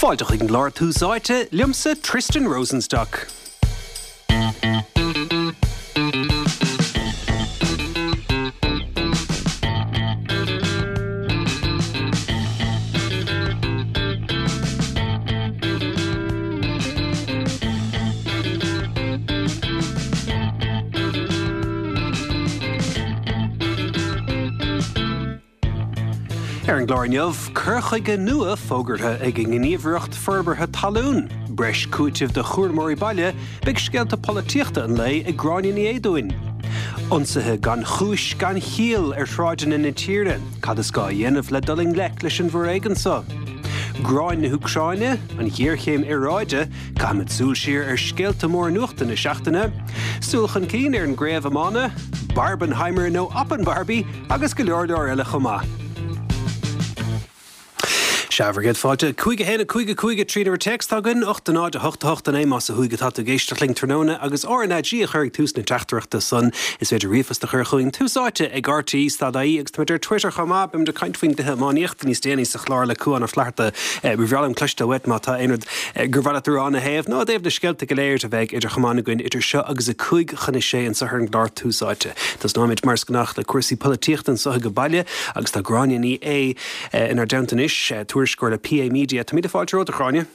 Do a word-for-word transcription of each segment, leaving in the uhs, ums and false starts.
Fáilte chuig an gclár Tús Áite, liomsa Tristan Rosenstock. Ar an gclár inniu, cur chuige nua fógartha ag an nGníomhaireacht Forbartha Talún, breis cúitimh do chúramóirí baile, beidh scéalta polaitíochta an lae ag Gráinne Ní Éaduain. Ionsaithe gan chúis gan chiall ar shráideanna na tíre, cad is gá a dhéanamh le dul i ngleic leis an bhforéigean seo? Gráin na hÚcráine, an ghéarchéim aeráide, caithfimid súil siar ar scéalta móra nuachta na seachtaine, súil chun cinn ar an gcraobh iomána, Barbenheimer nó Oppenbarbie agus go leor leor eile chomh maith. Sea, bhur gcéad fáilte. Cúig a haon a cúig a cúig a trí nuair téacs atá againn, ocht a náid a hocht a hocht a naoi más ó thuaidh atá tú ag éisteacht linn tráthnóna agus RnaG a chur ag tús na teachtaireachta san. Is féidir ríomhphost a chur chugainn Tús Áite ag RTÉ stad ie agus táimid ar Twitter chomh maith. Beimid ag caint faoin gcluiche iománaíochta níos déanaí sa chlár le Cuán Ó Flatharta. Ba bhreá liom cloisteáil uait má tá aon rud gur mhaith leat a rá ina thaobh nó i dtaobh na scéalta go léir a bheidh idir chamáin againn idir seo agus a cúig chun a sé anseo ar an gclár Tús Áite. Tosnóimid mar is gnách le cúrsaí polaitíochta anseo ag baile agus tá Gráinne Ní Aodha inár dteannta anois, tuairisceoir le PA Media. Tá míle fáilte romhat, a Ghráinne.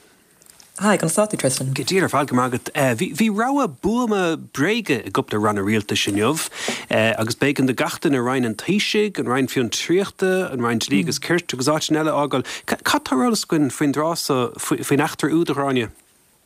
Hi, conas tá tú Tristan? Go diail ar fad go maith agat. Bhí bhí rabhadh buama bréige i gcúpla ranna rialtais inniu agus b'éigean do gach duine Roinn an Taoisigh, an Roinn Fiontraíochta, an Roinn Dlí agus Cirt agus áiteanna eile a fhágáil. Cad tá ar eolas againn faoin dtráth so, faoin eachtra úd, a Ghráinne?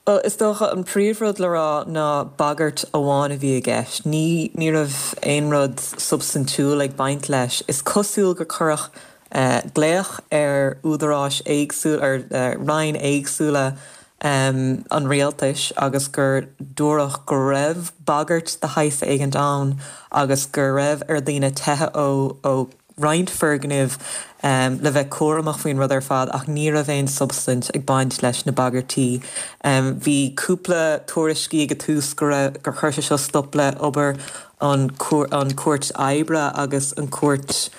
Well, is dócha an príomhrud le rá ná bagairt amháin a bhí i gceist. Ní ní raibh aon rud substaintiúil ag baint leis. Is cosúil gur cuireadh glaoch ar údaráis éagsúla ar roinn éagsúla um, an rialtais agus gur dúradh go raibh bagairt de shaghas éigin ann agus go raibh ar daoine teitheadh ó ó roinnt foirgnimh um, le bheith cúramach faoin rud ar fad ach ní raibh aon substaint ag baint leis na bagairtí. Um, bhí cúpla tuairiscí ag tús gur gur chuir sé seo stop le obair an an cúirt oibre agus an cúirt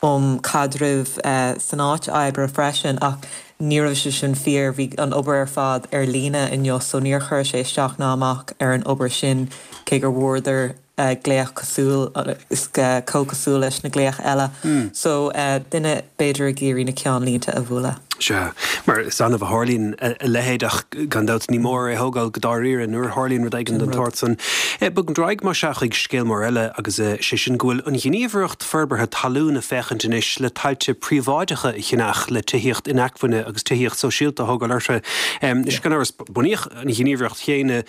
um caidreamh uh, san áit oibre freisin ach ní raibh sé sin fíor bhí an obair ar fad ar líne inniu so níor chuir sé isteach ná amach ar an obair sin cé gur bhfuaireadar uh, glaoch cosúil is uh, cosúil leis na glaoch eile. Mm. So uh, duine b'fhéidir ag iarraidh na ceannlínte a bhualadh. Sea, mar is annamh a tharlaíonn a leithéid ach gan dabht ní mór é thógáil go dáiríre nuair a tharlaíonn rud éigin den tsórt san. Bogfaimid ar aghaidh mar sin chuig scéal mór eile agus sé sin go bhfuil an Ghníomhaireacht Forbartha Talún ag féachaint anois le tailte príobháideacha a cheannach le tithíocht inacmhainne agus tithíocht sóisialta a thógáil orthu. Is gan amhras bunaíodh an Ghníomhaireacht chéanna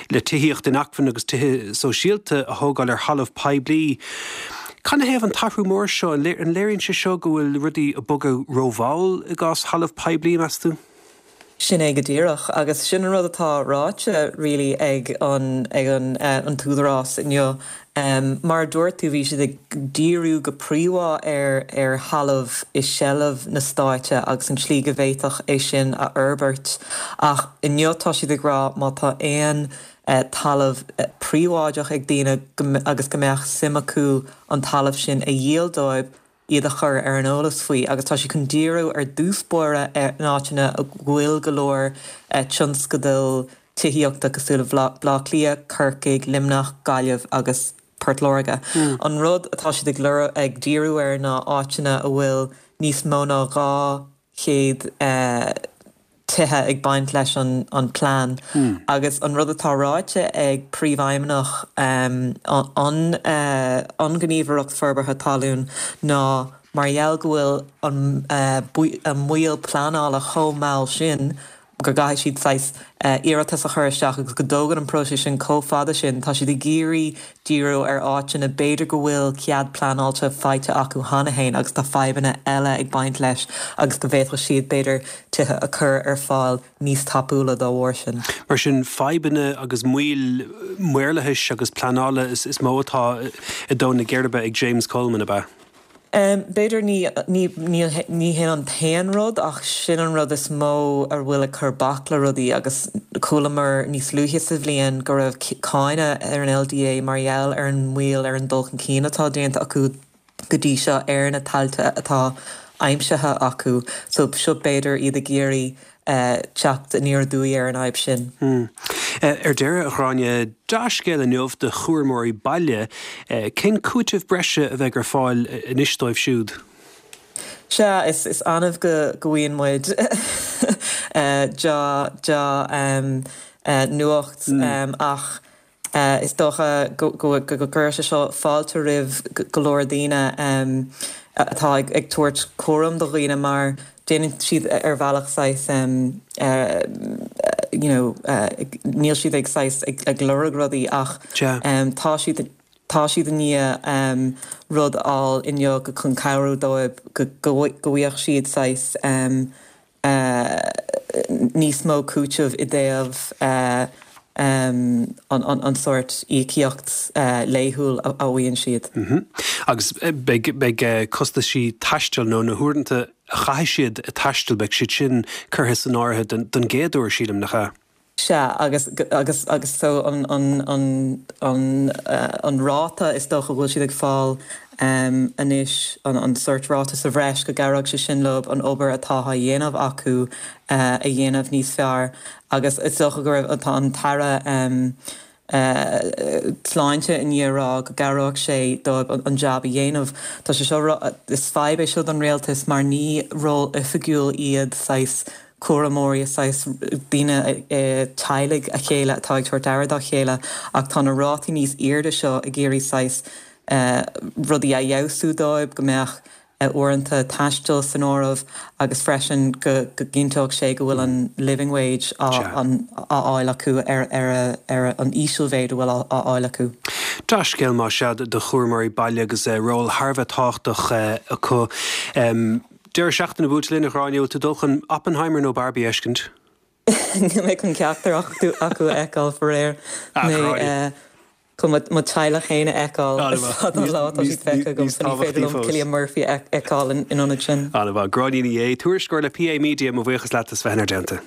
le tithíocht inacmhainne agus tithe sóisialta a thógáil ar thalamh poiblí. Canathaobh an t-athrú mór seo an léiríonn sé seo go bhfuil rudaí ag bogadh rómhall i gcás thalamh poiblí meas tú? Sin é go díreach agus sin an rud atá ráite really ag an ag an uh, an t-údarás inniu. Um, mar dúirt tú bhí siad ag díriú go príomha ar ar thalamh i seilbh na stáite agus an tslí go bhféadfadh é sin a fhorbairt ach inniu tá siad ag rá má tá aon uh, talamh uh, príobháideach ag daoine agus go mbeadh suim acu an talamh sin a dhíol dóibh iad a chur ar an eolas faoi agus tá sé chun díriú ar dtús báire ar na háiteanna a bhfuil go leor uh, tionscadail tithíochta cosúil le Baile Átha Cliath, Corcaigh, Luimneach, Gaillimh agus Port Láirge. Mm. An rud atá siad ag ag díriú ar na áiteanna a bhfuil níos mó ná dhá chéad uh, tithe ag baint leis an, an plean. Mm. Agus an rud atá ráite ag príomhfheidhmeannach um, an, uh, an Ghníomhaireacht Forbartha Talún ná mar gheall go bhfuil an, uh, an moill pleanála chomh mall sin go gcaithfidh siad saghas uh, iarratas a chur isteach agus go dtógann an próiseas sin chomh fada sin tá siad ag iarraidh díriú ar áiteanna b'fhéidir go bhfuil cead pleanáilte faighte acu cheana féin agus tá fadhbanna eile ag baint leis agus go bhféadfadh siad b'fhéidir tithe a chur ar fáil níos tapúla dá bharr sin. Mar sin fadhbanna agus moill maorlathais agus pleanála is, is mó atá i dtóin na geirbe ag James Coleman ab ea. Um, B'fhéidir ní ní ní ní hin an t-aon rud ach sin an rud is mó ar bhfuil ag cur bac le rudaí agus chualamar níos luaithe sa bhliain go raibh cáineadh ar an LDA mar gheall ar an moill ar an dul chun cinn atá déanta acu go dtí seo ar na tailte atá aimsithe acu, so seo b'fhéidir iad ag iarraidh teacht aniar aduaidh ar an fhadhb sin. Ar deireadh, a Ghráinne, dea-scéal inniu do chúramóirí baile, cén cúiteamh breise a bheidh ar fáil anois dóibh siúd? Sea, is is annamh go go bhfaigheann muid dea-nuacht ach is dócha go go gcuirfidh sé seo fáilte roimh go leor daoine atá ag tabhairt cúram do dhaoine mar déanann siad ar bhealach saghas you know níl siad ag saghas ag lorg rudaí ach tá siad tá siad i ndiaidh rud a fháil inniu go chun cabhrú dóibh go go bhfaigheadh siad saghas níos mó cúiteamh i dtaobh an sórt íocaíocht laethúil a fhaigheann siad. Agus beidh beidh costaisí taistil nó na huaireanta a chaithfidh siad ag taisteal, beidh siad sin curtha san áireamh don gcéad uair, sílim, nach ea? Sea, agus agus agus so an an an an an ráta is dócha go bhfuil siad ag fáil anois, an an sórt ráta sa bhreis, go gcabhróidh sé sin leo an obair atá á dhéanamh acu a dhéanamh níos fearr agus is dócha go raibh tá an tAire Sláinte i ndiaidh a rá go gcabhróidh sé dóibh an jab a dhéanamh. Tá sé seo is fadhb é seo don rialtas mar ní ról oifigiúil iad saghas cúramóirí, saghas daoine teaghlaigh a chéile atá ag tabhairt aire dá chéile ach tá na rátaí níos airde seo ag iarraidh saghas rudaí a fheabhsú dóibh, go mbeadh uaireanta taistil san áireamh agus freisin go gcinnteodh sé go bhfuil an living wage á fháil acu ar ar an ísealmhéid a bhfuil á fháil acu. Dea-scéal más ea do chúramóirí baile agus ról thar a bheith tábhachtach acu. Deireadh seachtaine buailte linn, a Ghráinne, bhfuil tú ag dul chun Oppenheimer nó Barbie a fheiscint? Níl mé chun ceachtar acu a fheiceáil, faraor. Mé chun mo teaghlach féin a fheiceáil. Is fada an lá atá siad feicthe agam, so ní féidir liom Cillian Murphy a fheiceáil in ionad sin. An-mhaith. Gráinne Ní Aodha, tuairisceoir le P A Media, mo bhuíochas leat as bheith inár dteannta.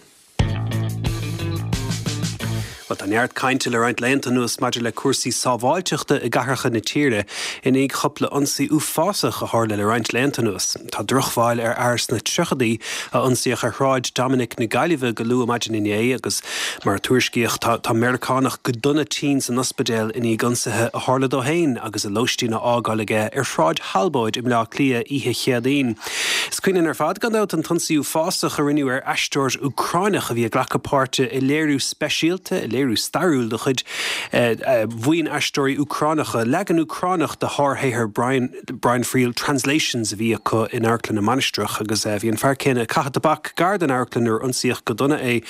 Bhuel, tá neart cainte le roinnt laethanta anuas maidir le cúrsaí sábháilteachta i gcathracha na tíre i ndiaidh chúpla ionsaí uafásach a tharla le roinnt laethanta anuas. Tá drochbhail ar fhear sna tríochaidí a ionsaíodh ar Shráid Dominic na Gaillimhe go luath maidin inné agus, mar a tuairiscíodh, tá tá Meiriceánach go dona tinn san ospidéal i ndiaidh ionsaithe a tharla dó féin agus a lóistín á fhágáil aige ar Shráid Thalbóid i mBleá Cliath oíche Chéadaoin. Is cuimhin linn ar fad, gan dabht, an t-ionsaí uafásach a rinneadh ar aisteoir Úcráineach a bhí ag glacadh páirte i léiriú speisialta, i léiriú stairiúil de chuid bhuíon aisteoirí Úcránacha, leagan Úcránach de shárshaothar Brian Brian Friel, Translations, a bhí acu in Amharclann na Mainistreach agus bhí an fear céanna ag caitheamh tobac gar don amharclann nuair a ionsaíodh go dona é.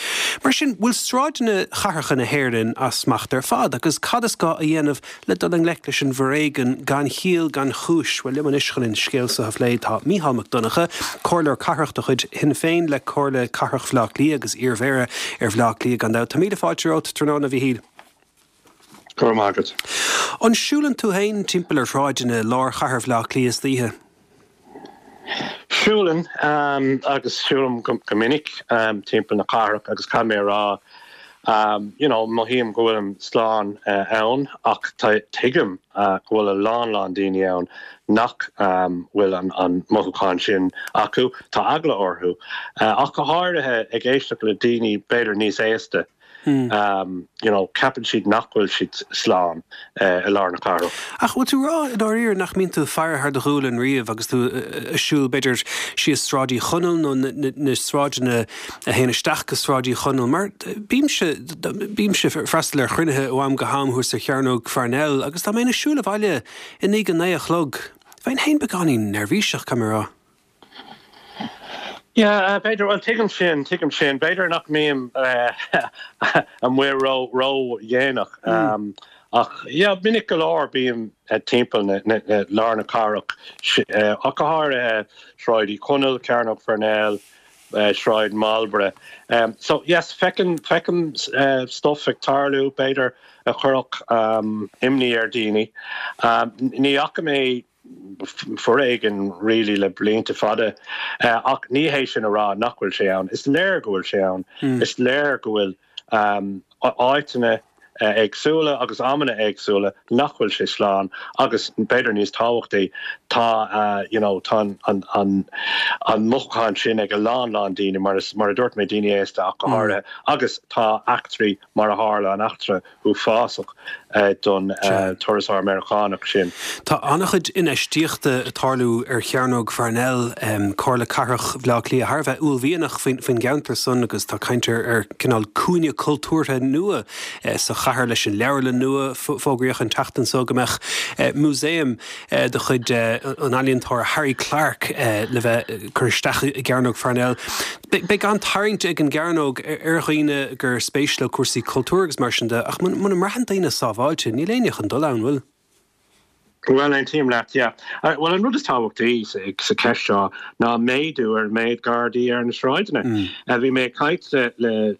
Mar sin, bhfuil sráideanna chathracha na hÉireann as smacht ar fad agus cad is gá a dhéanamh le dul i ngleic leis an bhforéigean gan chiall gan chúis? Bhuel, liom anois chun an scéal seo a phlé tá Mícheál Mac Donncha, Comhairleoir Cathrach de chuid Shinn Féin le Comhairle Cathrach Bhaile Átha Cliath agus iarMhéara ar Bhaile Átha Cliath gan dabht. Tá míle fáilte romhat tráthnóna, a Mhíchíl. Go raibh maith agat. An siúlann tú féin timpeall ar shráideanna lár chathair Bhaile Átha Cliath istoíche? Siúlann, agus siúlaim go minic timpeall na cathrach agus caithfidh mé a rá, you know, mothaím go bhfuilim slán ann ach tuigim go bhfuil a lán lán daoine ann nach bhfuil an mothúchán sin acu, tá eagla orthu, ach go háirithe ag éisteacht le daoine b'fhéidir níos aosta. You know, ceapann siad nach bhfuil siad slán i lár na cathrach. Ach bhfuil tú ag rá i ndáiríre nach mbíonn tú ag faire thar do ghualainn riamh agus tú ag siúl b'fhéidir síos Sráid Uí Chonaill nó na sráideanna a théann isteach go Sráid Uí Chonaill? Mar bímse, bímse ag freastal ar chruinnithe ó am go ham thuas ar Chearnóg Pharnell agus dá mbeinn ag siúl abhaile i ndiaidh a naoi a chlog, bheinn féin beagáinín neirbhíseach, caithfidh mé a rá. Yeah, b'fhéidir, bhuel tuigim sin, tuigim sin. B'fhéidir nach mbím amuigh ró, ró-dhéanach ach yeah, minic go leor bím timpeall na, na, na, lár na cathrach, ach go háirithe Sráid Uí Chonaill, Cearnóg Pharnell, Sráid Marlborough. So yes, feicim, feicim stuff ag tarlú, b'fhéidir a chuirfeadh imní ar daoine. Ní fhaca mé foréigean really le blianta fada ach ní hé sin a rá nach bhfuil sé ann. Is léir go bhfuil sé ann. Is léir go bhfuil áiteanna éagsúla agus amanna éagsúla nach bhfuil sé slán agus b'fhéidir níos tábhachtaí tá you know tá an an an mothúchán sin ag a lán lán daoine mar is mar a dúirt mé daoine aosta ach go háirithe agus tá eachtraí mar a tharla an eachtra uafásach don turasóir Meiriceánach sin. Tá an-chuid infheistíochta ag tarlú ar Chearnóg Pharnell, Comhairle Cathrach Bhaile Átha Cliath thar a bheith uaillmhianach faoin gceantar san agus tá caint ar cineál cúinne cultúrtha nua sa chathair leis an leabharlann nua. Fógraíodh an tseachtain seo go mbeadh músaem de chuid an ealaíontóra Harry Clarke le bheith curtha isteach i gCearnóg Pharnell. Beidh an-tarraingt ag an gcearnóg ar dhaoine gur spéis leo cúrsaí cultúir agus mar sin de, ach muna mbraitheann daoine sábháilte, níl éinne chun dul ann, bhfuil? Bhuel, aontaím leat, yeah. Bhuel, an rud is tábhachtaí sa cheist seo ná méadú ar an méid Gardaí ar na sráideanna. Bhí mé ag caint le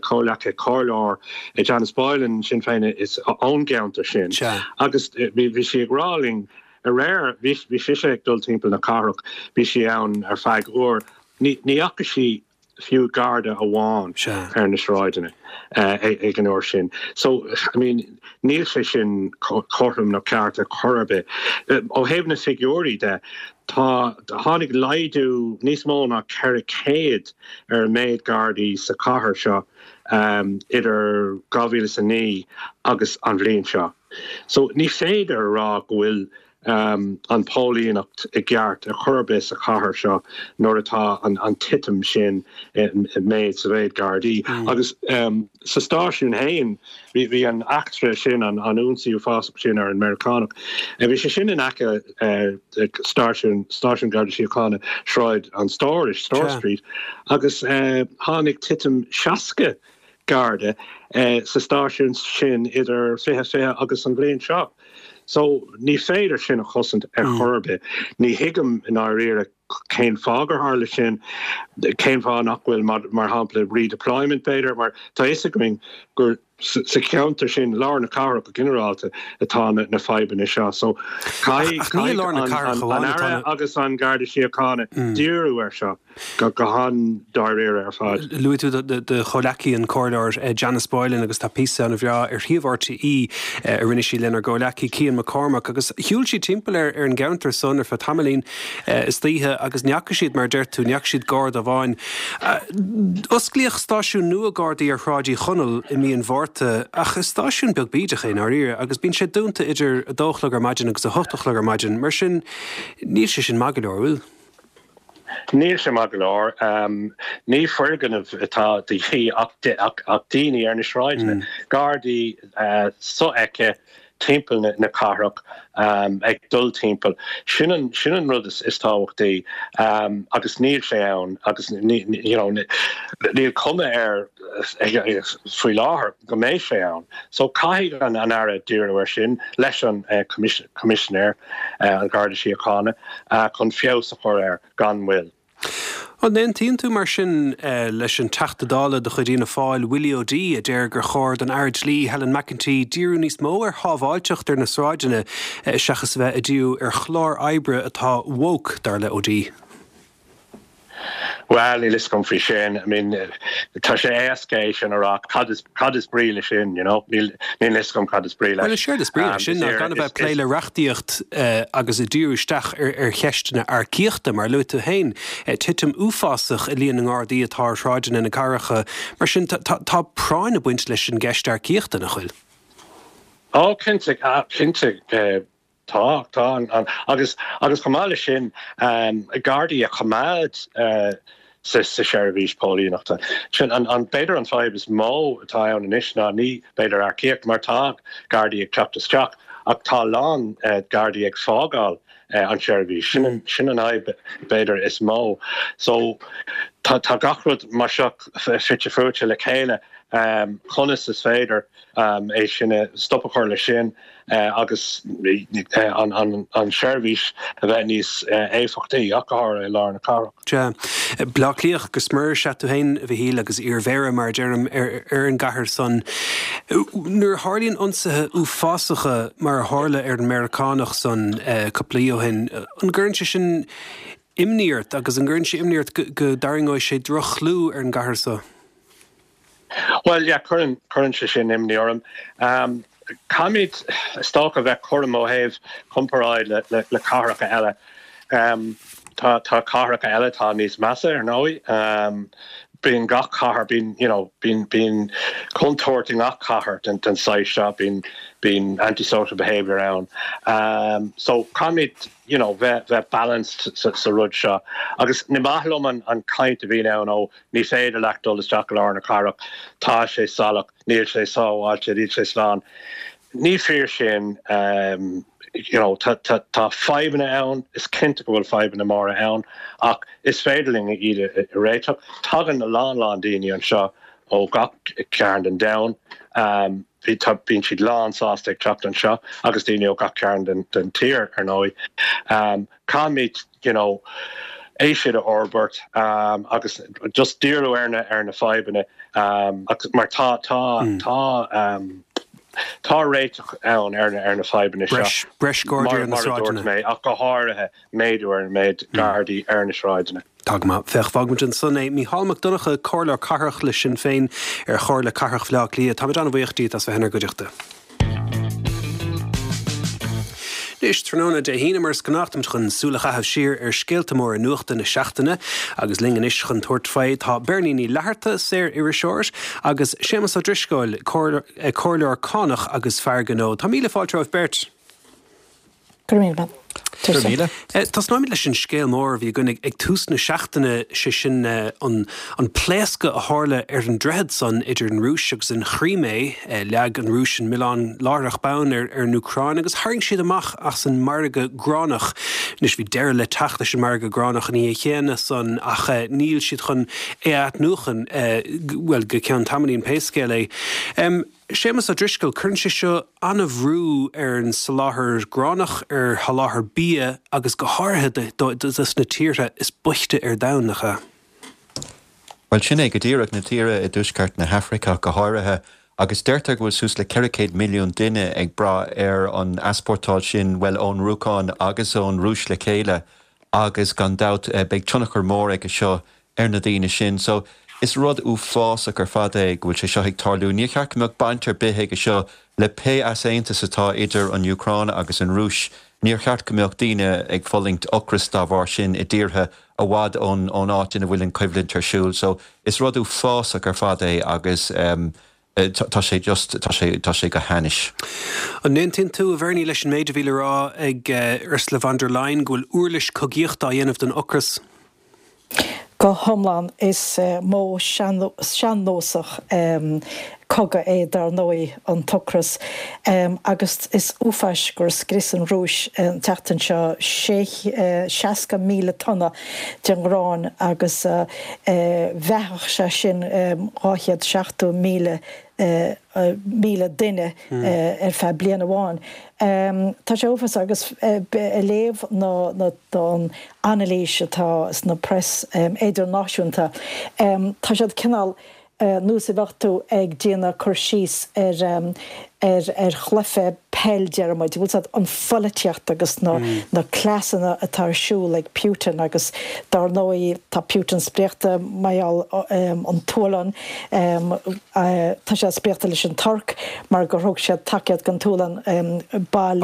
comhghleacaí comhairleoir Janice Boylan, Sinn Féin is ón gceantar sin, agus bhí sí ag rá linn aréir, bhí sise ag dul timpeall na cathrach, bhí sí ann ar feadh uair, ní fhaca sí fiú Garda amháin ar na sráideanna ag an uair sin. So, I mean, níl sé sin cothrom nó ceart ar chor ar bith. Ó thaobh na figiúirí de, tá tháinig laghdú níos mó ná ceithre chéad ar an méid Gardaí sa chathair seo idir dhá mhíle is a naoi agus an bhliain seo. So ní féidir a rá go bhfuil an póilíneacht i gceart ar chor ar bith sa chathair seo nuair atá an titim sin i méid sa mhéid Gardaí. Agus sa stáisiún féin, bhí an eachtra sin, an ionsaí uafásach sin ar an Meiriceánach, bhí sé sin in aice stáisiún, stáisiún Garda Síochána Sráid an Stórais, Store Street, agus tháinig titim seasca Garda sa stáisiún sin idir fiche fiche agus an bhliain seo. So ní féidir sin a chosaint ar chor ar bith. Ní thuigim i ndáiríre cén fáth gur tharla sin, cén fáth nach bhfuil mar shampla redeployment b'fhéidir, mar tá fhios againn gur sa cheantar sin, lár na cathrach go ginearálta, atá na fadhbanna seo. So caithfidh an Aire agus an Garda Síochána díriú air seo go han-dáiríre ar fad. Luaigh tú do chomhghleacaí an Comhairleoir Janice Boylan agus tá píosa an-bhreá ar shuíomh RTÉ a rinne sí lenár gcomhghleacaí Cian McCormack agus shiúil sí timpeall ar an gceantar san ar feadh tamaillín istoíche agus ní fhaca siad, mar a deir tú, ní fhaca siad garda amháin. Osclaíodh stáisiún nua Gardaí ar Shráid Uí Chonaill i mí an Mhárta ach is stáisiún beag bídeach é i ndáiríre agus bíonn sé dúnta idir a dó a chlog ar maidin agus a hocht a chlog ar maidin, mar sin níl sé sin maith go leor, bhfuil? Níl sé maith go leor. Ní foirgneamh atá de dhíth ach daoine ar na sráideanna, Gardaí sofheicthe timpeall na cathrach ag dul timpeall. Sin an sin an rud is tábhachtaí agus níl sé ann agus you know níl cuma air faoi láthair go mbeidh sé ann. So caithfidh an an Aire díriú air sin leis an Coimisinéir an Gharda Síochána chun feabhas a chur air gan mhoill. An aontaíonn tú mar sin leis an Teachta Dála de chuid Fhianna Fáil, Willie O'Dea, a deir gur chóir don Aire Dlí, Helen McEntee, díriú níos mó ar shábháilteacht ar na sráideanna seachas a bheith ag díriú ar chlár oibre atá woke, dar le O'Dea? Bhuel, níl fhios agam faoi sin. I mean, tá sé éasca é sin a rá, cad is, cad is brí leis sin, you know? Níl, níl fhios agam cad is brí leis. Bhuel, is éard is brí leis sin ná gan a bheith ag plé le reachtaíocht agus ag díriú isteach ar, ar cheisteanna earcaíochta, mar a luaigh tú féin, titim uafásach i líon na nGardaí atá ar shráideanna na cathracha. Mar sin, tá, tá, tá práinn ag baint leis an gceist earcaíochta, nach bhfuil? Ó, cinnte, cinnte. Tá, tá. Agus agus chomh maith leis sin, Gardaí a choimeád sa seirbhís póilíneachta. Sin an an b'fhéidir an fadhb is mó atá ann anois ná ní b'fhéidir earcaíocht mar tá Gardaí ag teacht isteach ach tá a lán Gardaí ag fágáil an tseirbhís. Sin an sin an fhadhb b'fhéidir is mó. So tá tá gach rud mar seo fite fuaite le chéile. Conas is féidir é sin a stop a chur leis sin agus an tseirbhís a bheith níos éifeachtaí, ach go háirithe i lár na cathrach. Sea. Baile Átha Cliath go smior is ea tú féin, a Mhichíl, agus iarmhéara, mar a deirim, ar an gcathair san. Nuair a tharlaíonn ionsaithe uafásacha mar a tharla ar an Meiriceánach san cúpla mí ó shin, an gcuireann sé sin imní ort agus an gcuireann sé imní ort go dtarraingeoidh sé droch-chlú ar an gcathair so? Well, yeah, cuireann cuireann sé sin imní orm. Um, Caithfimid is dócha bheith cúramach ó thaobh comparáid le, le, le cathracha eile. Um, tá tá cathracha eile tá níos measa ar ndóigh. Um, bíonn gach cathair bíonn you know, bíonn bíonn contúirt i ngach cathair den den saghas seo bíonn bíonn antisocial behavior ann. Um, so caithfimid you know, bheith bheith balanced sa, sa rud seo. Agus ní maith liom an, an caint a bhíonn ann ó ní féidir leat dul isteach i lár na cathrach tá sé salach, níl sé sábháilte, níl sé slán. Ní fíor sin um, you know, tá, tá, tá fadhbanna ann, is cinnte go bhfuil fadhbanna móra ann, ach is féidir linn iad a réiteach. Tagann a lán lán daoine anseo ó gach cearn den domhan. Um, bhí bíonn siad lán sásta ag teacht anseo agus daoine ó gach cearn den, den tír ar ndóigh. Um, Caithfimid you know, é sin a fhorbairt um, agus just díriú ar na ar na fadhbanna um, agus mar tá tá mm. tá um, Tá réiteach ann ar na ar na fadhbanna seo. Breis gardaí ar na sráideanna. mé ach go háirithe méadú ar an méid gardaí ar na sráideanna. Tá féach fágfaimid ansan é Mícheál Mac Donncha comhairleoir cathrach le Sinn Féin ar Chomhairle Cathrach Bhaile Átha Cliath, Táimid an-bhuíoch díot as bheith inár gcuideachta. Anois tráthnóna Dé hAoine mar is gnách táimid chun súil a chaitheamh siar ar scéalta móra nuachta na seachtaine agus linn anois chun tabhairt faoi tá Beirní Ní Fhlatharta, saor-iriseoir, agus Séamus Ó Drisceoil, comhairleoir cánach agus fear gnó. Tá míle fáilte romhaibh beirt. Go raibh míle maith. Go raibh míle. Tosnóimid leis an scéal mór a bhí againn ag tús na seachtaine, sé sin an an pléascadh a tharla ar an droichead san idir an Rúis agus an Chrímé. Leag an Rúis an milleán láithreach bonn ar ar an Úcráin agus tharraing siad amach as an margadh gránach. Anois bhí deireadh le teacht leis an margadh gránach an oíche chéanna san ach níl siad chun é a athnuachan, bhuel go ceann tamaillín pé scéal é. Séamus Ó Drisceoil, Cuireann sé seo an-bhrú ar an soláthar gránach, ar sholáthar bia agus go háirithe dos na tíortha is boichte ar domhan, nach ea? Bhuel, sin é go díreach, na tíortha i dtuaisceart na hAfraice go háirithe, agus deirtear go bhfuil suas le ceithre chéad milliún duine ag brath ar an easpórtáil sin, bhuel, ón Úcráin agus ón Rúis le chéile agus gan dabht beidh tionchar mór aige seo ar na daoine sin. So, is rud uafásach ar fad é go bhfuil sé seo ag tarlú. Níor cheart go mbeadh baint ar bith aige seo le pé easaontas atá idir an Úcráin agus an Rúis. Níor cheart go mbeadh daoine ag fulaingt ocras dá bharr sin i dtíortha i bhfad ón ón áit ina bhfuil an choimhlint ar siúl. So, is rud uafásach ar fad é agus um, tá sé just, tá sé, tá sé go hainnis. An n-aontaíonn tú, a Bhernie, leis an méid a bhí le rá ag Ursula von der Leyen go bhfuil uirlis cogaíochta á dhéanamh den ocras? Go hiomlán, is modh sean-nósach cogaidh é dar ndóigh an t-ocras agus is uafás gur scrios an Rúis an tseachtain seo seasca míle tonna den ghrán agus bheathódh sé sin dhá chéad seachtó míle míle duine ar feadh bliain amháin. Tá sé uafásach agus ag léamh na an anailís atá sna press idirnáisiúnta, tá siad cineál nós a bheadh tú ag déanamh cur síos ar ar ar chluiche peil deir muid, bhfuil 's agat, an pholaitíocht agus na na cleasanna atá ar siúl ag Putin agus dar ndóigh tá Putin spréachta mar gheall an tSualainn, tá sé spréachta leis an Tuirc mar gur thug siad tacaíocht don tSualainn bail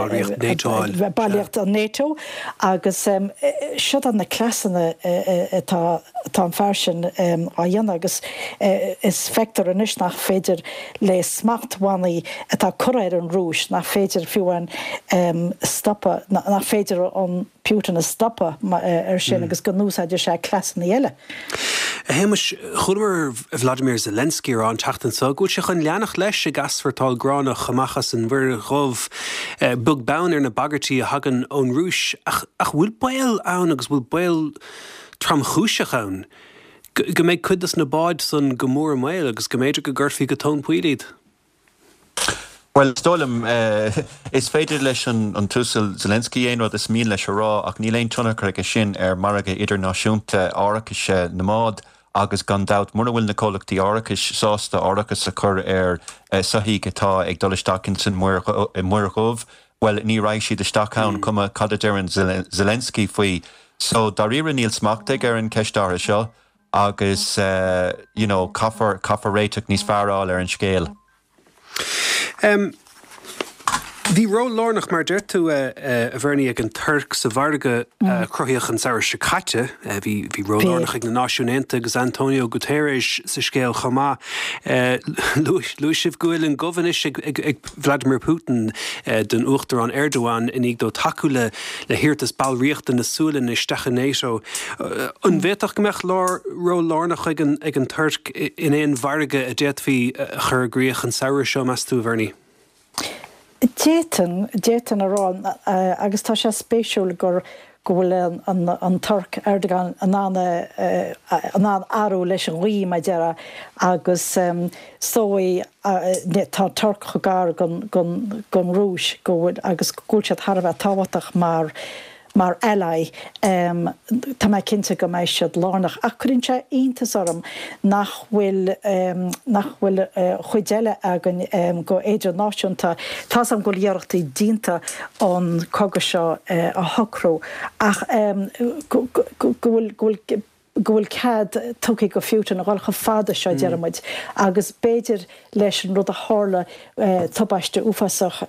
ballraíocht an NATO agus seo na cleasanna atá atá an fear sin á dhéanamh agus is feictear anois nach féidir le smachtbhannaí atá curtha ar an Rúis, nach féidir fiú amháin stopadh, nach féidir an Putin a stopadh ar sin agus go n-úsáideann sé cleasanna eile. A Shéamais, chualamar Vladimir Zelensky a rá an tseachtain seo go bhfuil sé chun leanacht leis ag easpórtáil gránach amach as an Mhuir Dhubh, beag beann ar na bagairtí a thagann ón Rúis. Ach bhfuil baol ann agus bhfuil baol tromchúiseach ann go mbeidh cuid de na báid san go mór i mbaol agus go mb'fhéidir go gcuirfí go tóin poill iad? Bhuel, is dóigh liom, is féidir leis an tUasal Zelensky aon rud is mian leis a rá ach níl aon tionchar aige sin ar mhargadh idirnáisiúnta árachais na mbád agus gan dabht mura bhfuil na comhlachtaí árachais sásta árachas a chur ar soithí atá ag dul isteach ins an Muir Dhubh, bhuel, ní raghaidh siad isteach ann, cuma cad a deireann Zelensky faoi. So, dáiríre níl smacht aige ar an cheist áirithe seo. agus you know, caithfear caithfear réiteach níos fearr a fháil ar an scéal. Um, Bhí ról lárnach mar deir tú a Bhernie ag an Tuirc sa mhargadh a cruthaíodh an samhradh seo caite. Bhí bhí ról lárnach ag na Náisiúin Aontaithe agus Antonio Guterres sa scéal chomh maith. Luaigh sibh go bhfuil an goimh anois ag Vladimir Putin don Uachtarán Erdogan i ndiaidh dó tacú le le hiarratas ballraíochta na Sualainne isteach i NATO. An bhféadfadh go mbeadh ról lárnach ag an ag an Tuirc in aon mhargadh a d'fhéadfaí a chur i gcrích an samhradh seo, meas tú, a Bhernie? D'fhéadfainn, d'fhéadfainn a rá, agus tá sé spéisiúil gur, go bhfuil an, an Tuirc, Erdogan, in ann, in ann athrú leis an ghaoth, mar a déarfá, agus is dóigh, tá an Tuirc chomh gar don, don, don Rúis go bhfuil, agus go bhfuil siad thar a bheith tábhachtach mar, Mar ally, tá mé cinnte go mbeidh siad lárnach. Ach cuireann sé iontas orm nach bhfuil nach bhfuil cuid eile againn go idirnáisiúnta. Tá's agam go bhfuil iarrachtaí déanta an cogadh seo a shocrú ach go bhfuil go bhfuil go bhfuil cead tugtha go Putin a dhul chomh fada seo, deir muid, agus b'fhéidir leis an rud a tharla, tubaiste uafásach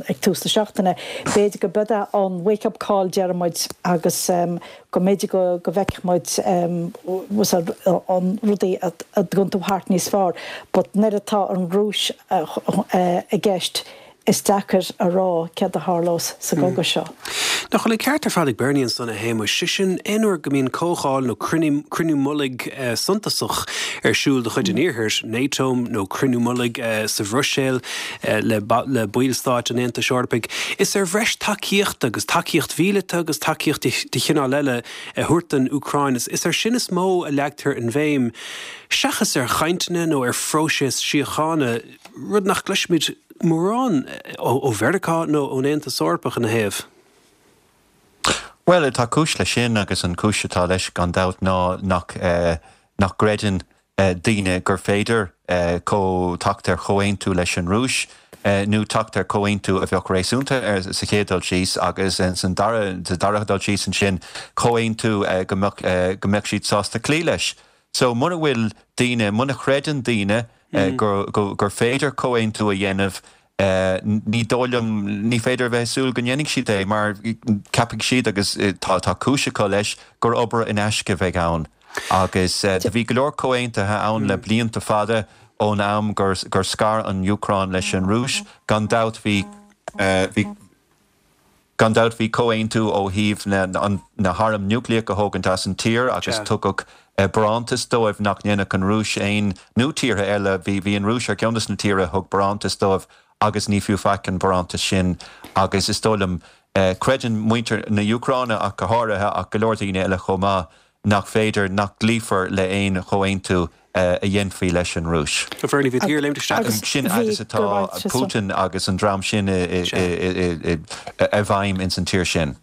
ag tús na seachtaine, b'fhéidir go b'é an wake up call, deir muid, agus go mb'fhéidir go bhfeicfidh muid an rudaí ag iompú thart níos fearr. But nuair atá an Rúis i gceist, Is deacair a rá céard a tharlós sa gcogadh seo. Nach bhfuil an ceart ar fad ag Bernie ansan, a Shéamuis? Sé sin, aon uair go mbíonn comhdháil nó cruinniú mullaigh suntasach ar siúl de chuid an Iarthair, NATO nó cruinniú mullaigh sa Bhruiséil le baill stáit an Aontais Eorpaigh, is ar bhreis tacaíochta agus tacaíocht mhíleata agus tacaíocht de chineál eile a thabhairt don Úcráin, is air sin is mó a leagtar an bhéim, seachas ar chainteanna nó ar phróiseas síochána, rud nach gcloisimid mórán ó Mheiriceá nó ón Aontas Eorpach ina thaobh. Bhuel, tá cúis leis sin agus an chúis atá leis gan dabht ná nach nach gcreideann daoine gur féidir teacht ar chomhaontú leis an Rúis nó teacht ar chomhaontú a bheadh réasúnta sa chéad dul síos agus san dara sa dara dul síos ansin comhaontú go mbeadh go mbeadh siad sásta cloí leis. So muna bhfuil daoine, muna chreideann daoine gur féidir comhaontú a dhéanamh, ní dóigh liom, ní féidir a bheith ag súil go ndéanfaidh siad é mar ceapfaidh siad, agus tá cúis acu leis, gur obair in aisce a bheidh ann. Agus do bhí go leor comhaontuithe ann le blianta fada ón am gur scar an Úcráin leis an Rúis. Gan dabht bhí, bhí. Gan dabht bhí comhaontú ó thaobh na hairm núicléach a thógaint as an tír agus tugadh barántas dóibh nach ndéanfadh an Rúis aon, nó tíortha eile, bhí bhí an Rúis ar cheann des na tíortha a thug barántas dóibh agus ní fiú faic an barántas sin agus is dóigh liom, creideann muintir na hÚcráine ach go háirithe ach go leor daoine eile chomh maith, nach féidir, nach gcloífear le haon chomhaontú a dhéanfaí leis an Rúis. Bhernie, bhí tú ag léimt isteach. Agus sin fhad is atá Putin agus an dream sin i bhfeidhm ins an tír sin.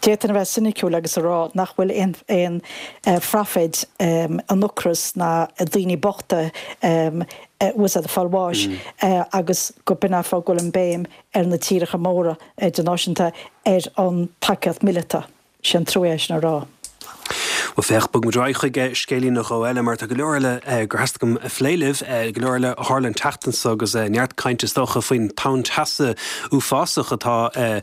D'fhéadfainn a bheith soiniciúil agus a rá nach bhfuil aon phroifid an ocras ná daoine bochta ag fáil bháis agus go b'in an fáth go bhfuil an béim ar na tíreacha móra idirnáisiúnta ar an tacaíocht míleata. Sin trua é sin a rá. Bhuel féach, bog muid ar aghaidh chuig scéilín nó dhó eile mar tá go leor eile gur theastaigh uaim a phlé libh, go leor eile a tharla an tseachtain seo agus neart cainte is dócha faoin tonn teasa uafásach atá ar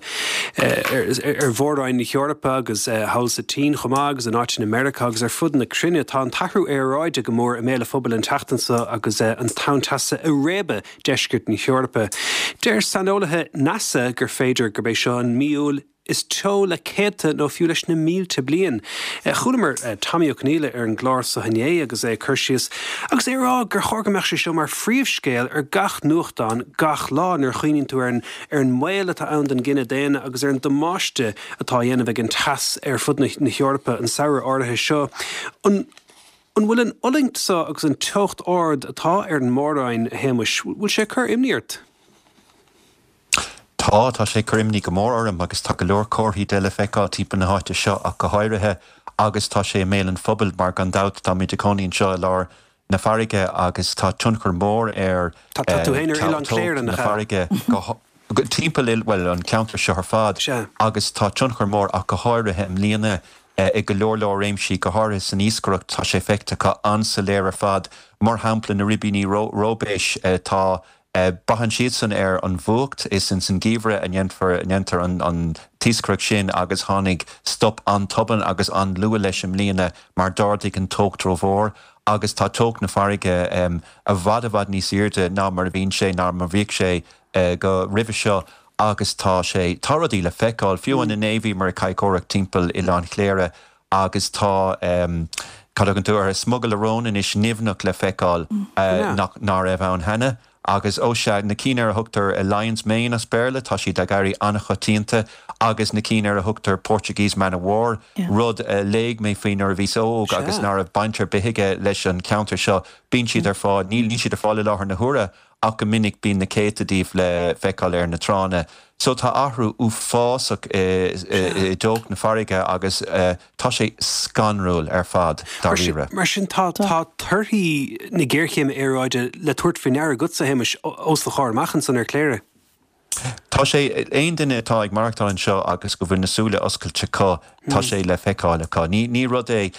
mhór-roinn na hEorpa agus thall sa tSín chomh maith agus in áiteanna i Meiriceá agus ar fud na cruinne. Tá an t-athrú aeráide go mór i mbéal an phobail an tseachtain seo agus an tonn teasa ag réabadh deisceart na hEorpa. Deir saineolaithe NASA gur féidir gurb é seo an mí Iúil is teo le céadta nó fiú leis na mílte bliain. Chualamar Tommy Ó Conghaile ar an gclár seo inné agus é ag cur síos agus é ag rá gur chóir go mbeadh sé seo mar phríomhscéal ar gach nuachtán gach lá nuair a chuimhníonn tú ar an ar an mbaol atá ann don gcine daonna agus ar an damáiste atá á dhéanamh ag an teas ar fud na hEorpa an samhradh áirithe seo. An an bhfuil an fhulaingt seo agus an teocht ard atá ar an mór-roinn, a Shéamuis, bhfuil sé ag cur imní ort? Tá, tá sé ag cur imní go mór orm agus tá go leor comharthaí de le feiceáil timpeall na háite seo ach go háirithe agus tá sé i mbéal an phobail mar gan dabht táimid ag cónaí anseo i lár na farraige agus tá tionchar mór ar Tá tú féin ar Oileán Chléire, teocht na nach ea? farraige go timpeall, bhuel an ceantar seo ar fad Sea. agus tá tionchar mór ach go háirithe i mbliana i go leor leor réimsí go háirithe san iascaireacht tá sé feicthe acu an-soiléir ar fad mar shampla na ribíní róibéis tá braitheann siadsan ar an bhfuacht is ins an geimhreadh a ndéanfar a ndéantar an an t-iascaireacht sin agus tháinig stop an-tobann agus an-luath leis i mbliana mar d'ardaigh an teocht rómhór agus tá teocht na farraige i bhfad i bhfad níos airde ná mar a bhíonn sé ná mar bhíodh sé go roimhe seo agus tá sé tá rudaí le feiceáil fiú an inné bhíomar ag cadhcóireacht timpeall Oileán Chléire agus tá cad a thugann tú air smugairle róin anois nimhneach le feiceáil nach ná raibh ann cheana. Agus ó sea, na cinn ar a thugtar Lion's Mane as Béarla, tá siad ag éirí an-choitianta, agus na cinn ar a thugtar Portuguese Man of War, rud a léigh mé faoi nuair a bhíos óg agus ná raibh baint ar bith aige leis an cheantar seo. Bíonn siad ar fáil, níl siad ar fáil i láthair na huaire ach go minic bíonn na céadta díobh le feiceáil ar na tránna. So tá athrú uafásach i dteocht na farraige agus tá sé scanrúil ar fad dáiríre. Mar sin tá tá torthaí na géarchéime aeráide le tabhairt faoi ndeara agatsa, a Shéamais, os do chomhair amach ansan ar Chléire. Tá sé, aon duine atá ag maireachtáil anseo agus go bhfuil na súile oscailte acu, tá sé le feiceáil acu. Ní, ní rud é,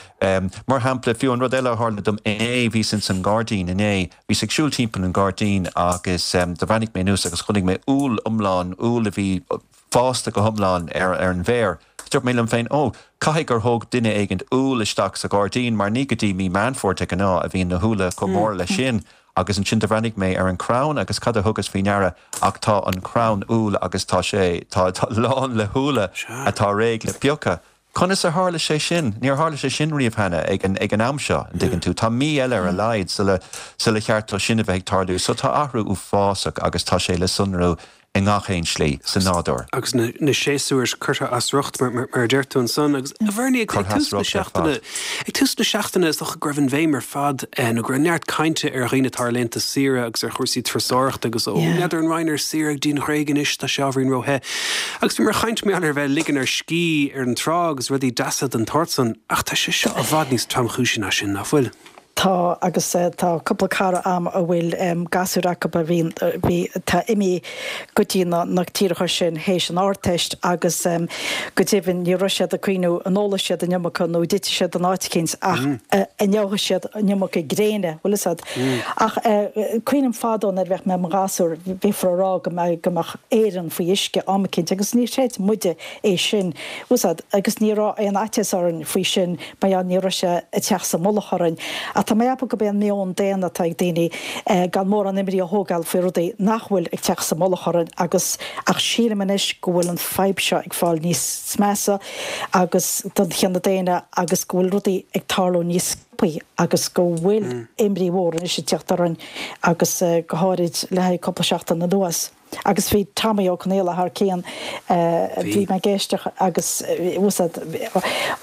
mar shampla, fiú an rud eile a tharla dom inné, bhíos ins an ngairdín inné, bhíos ag siúl timpeall an ghairdín agus do bhreathnaigh mé anuas agus chonaic mé úll iomlán, úll a bhí fásta go hiomlán ar, ar an bhféar. Dúirt mé liom féin, ó, caithfidh gur thóg duine éigint úll isteach sa ghairdín mar ní go dtí mí Meán Fómhair de ghnáth a bhíonn na húlla chomh mór leis sin. Agus ansin do bhreathnaigh mé ar an crann agus cad a thugas faoi ndeara ach tá an crann úll agus tá sé, tá, tá lán le húlla atá réidh le piocadh. Conas a tharla sé sin? Níor tharla sé sin riamh cheana ag an, ag an am seo, an dtuigeann tú. Tá mí eile ar a laghad sula, sula cheart dó sin a bheith ag tarlú. So tá athrú uafásach agus tá sé le sonrú i ngach aon slí sa nádúr. Agus na séasúir curtha as riocht, mar a deir tú ansan. Agus a Bhernie, ag tús na seachtaine, ag tús na seachtaine is dócha go raibh an bhéim ar fad nó go raibh neart cainte ar dhaoine atá ar laethanta saoire agus ar chúrsaí turasóireachta agus ó n'fheadar an raghainn ar saoire go dtí an Ghréig anois, tá sé ábhairín róthe. Agus bhíomar ag caint mar gheall ar bheith ag ligean ar scíth ar an trá agus rudaí deasa den tsórt san, ach tá sé seo i bhfad níos tromchúisí ná sin, nach bhfuil? Tá, agus tá cúpla cara a'm a bhfuil gasúir acu a bhíonn, bhí, atá imithe go dtí na, na tíortha sin théis an Ardteist agus go deimhin ní raibh siad ag cuimhniú an ólfaidh siad an iomarca nó an dtitfidh siad in áit eicínt ach an ngeobhaidh siad an iomarca gréine, bhfuil fhios a'd. Ach cuimhním fadó nuair a bheadh mé i mo ghasúr bhíofar a rá go mbeadh, go mbeadh Éirinn faoi uisce am eicínt agus níor chreid muide é sin, bhfuil fhios a'd, agus ní raibh aon fhaitíos orainn faoi sin mar gheall ní raibh sé ag teacht sa mullach orainn. Ach tá mé ag ceapadh gurb é an meon daonna atá ag daoine gan mórán imní a thógáil faoi rudaí nach bhfuil ag teacht sa mullach orainn agus ach sílim anois go bhfuil an fadhb seo ag fáil níos measa agus don chine daonna agus go bhfuil rudaí ag tarlú níos sciobthaí agus go bhfuil imní mhór anois ag teacht orainn agus go háirid le haghaidh cúpla seachtain anuas. Agus bhí Tommy Ó Conaola thar cionn, bhí mé ag éisteacht agus bhfuil fhios a'd,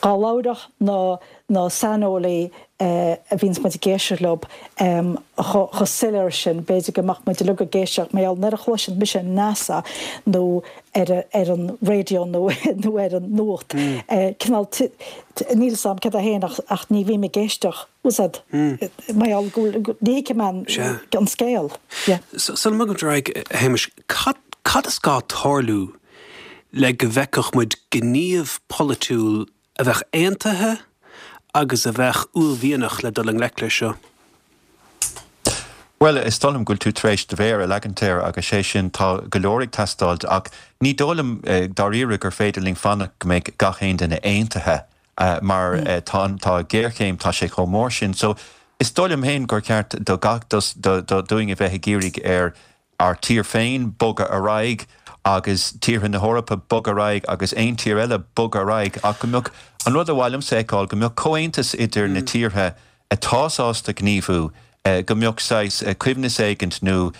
dhá labhródh na na saineolaí a bhíonns muid ag éisteacht leo chomh soiléir sin, b'fhéidir go mbeadh muid uilig ag éisteacht, mar gheall nuair a chloiseann mise NASA nó ar ar an raidió nó nó ar an nuacht, cineál níl fhios a'm cad é féin ach ach ní bhím ag éisteacht, bhfuil fhios a'd, mar gheall go bhfuil, ní thuigim an an scéal. Yeah. Sula mbogaimid ar aghaidh, a Shéamais, cad cad is gá tarlú le go bhfeicfeadh muid gníomh polaitiúil a bheadh aontaithe agus a bheadh uaillmhianach le dul i ngleic leis seo? Bhuel, is dóigh liom go bhfuil tú tar éis do mhéar a leagaint air agus sé sin, tá go leor ag teastáilt ach ní dóigh liom dáiríre gur féidir linn fanacht go mbeidh gach aon duine aontaithe mar tá an, tá géarchéim, tá sé chomh mór sin. So, is dóigh liom féin gur ceart do gach, do, do, dúinn a bheith ag iarraidh ar ár tír féin bogadh ar aghaidh agus tíortha na hEorpa bogadh ar aghaidh agus aon tír eile bogadh ar aghaidh ach go mbeadh, an rud a ba mhaith liomsa a fheiceáil, go mbeadh comhaontas idir na tíortha atá sásta gníomhú, go mbeadh saghas coibhneas éigint nó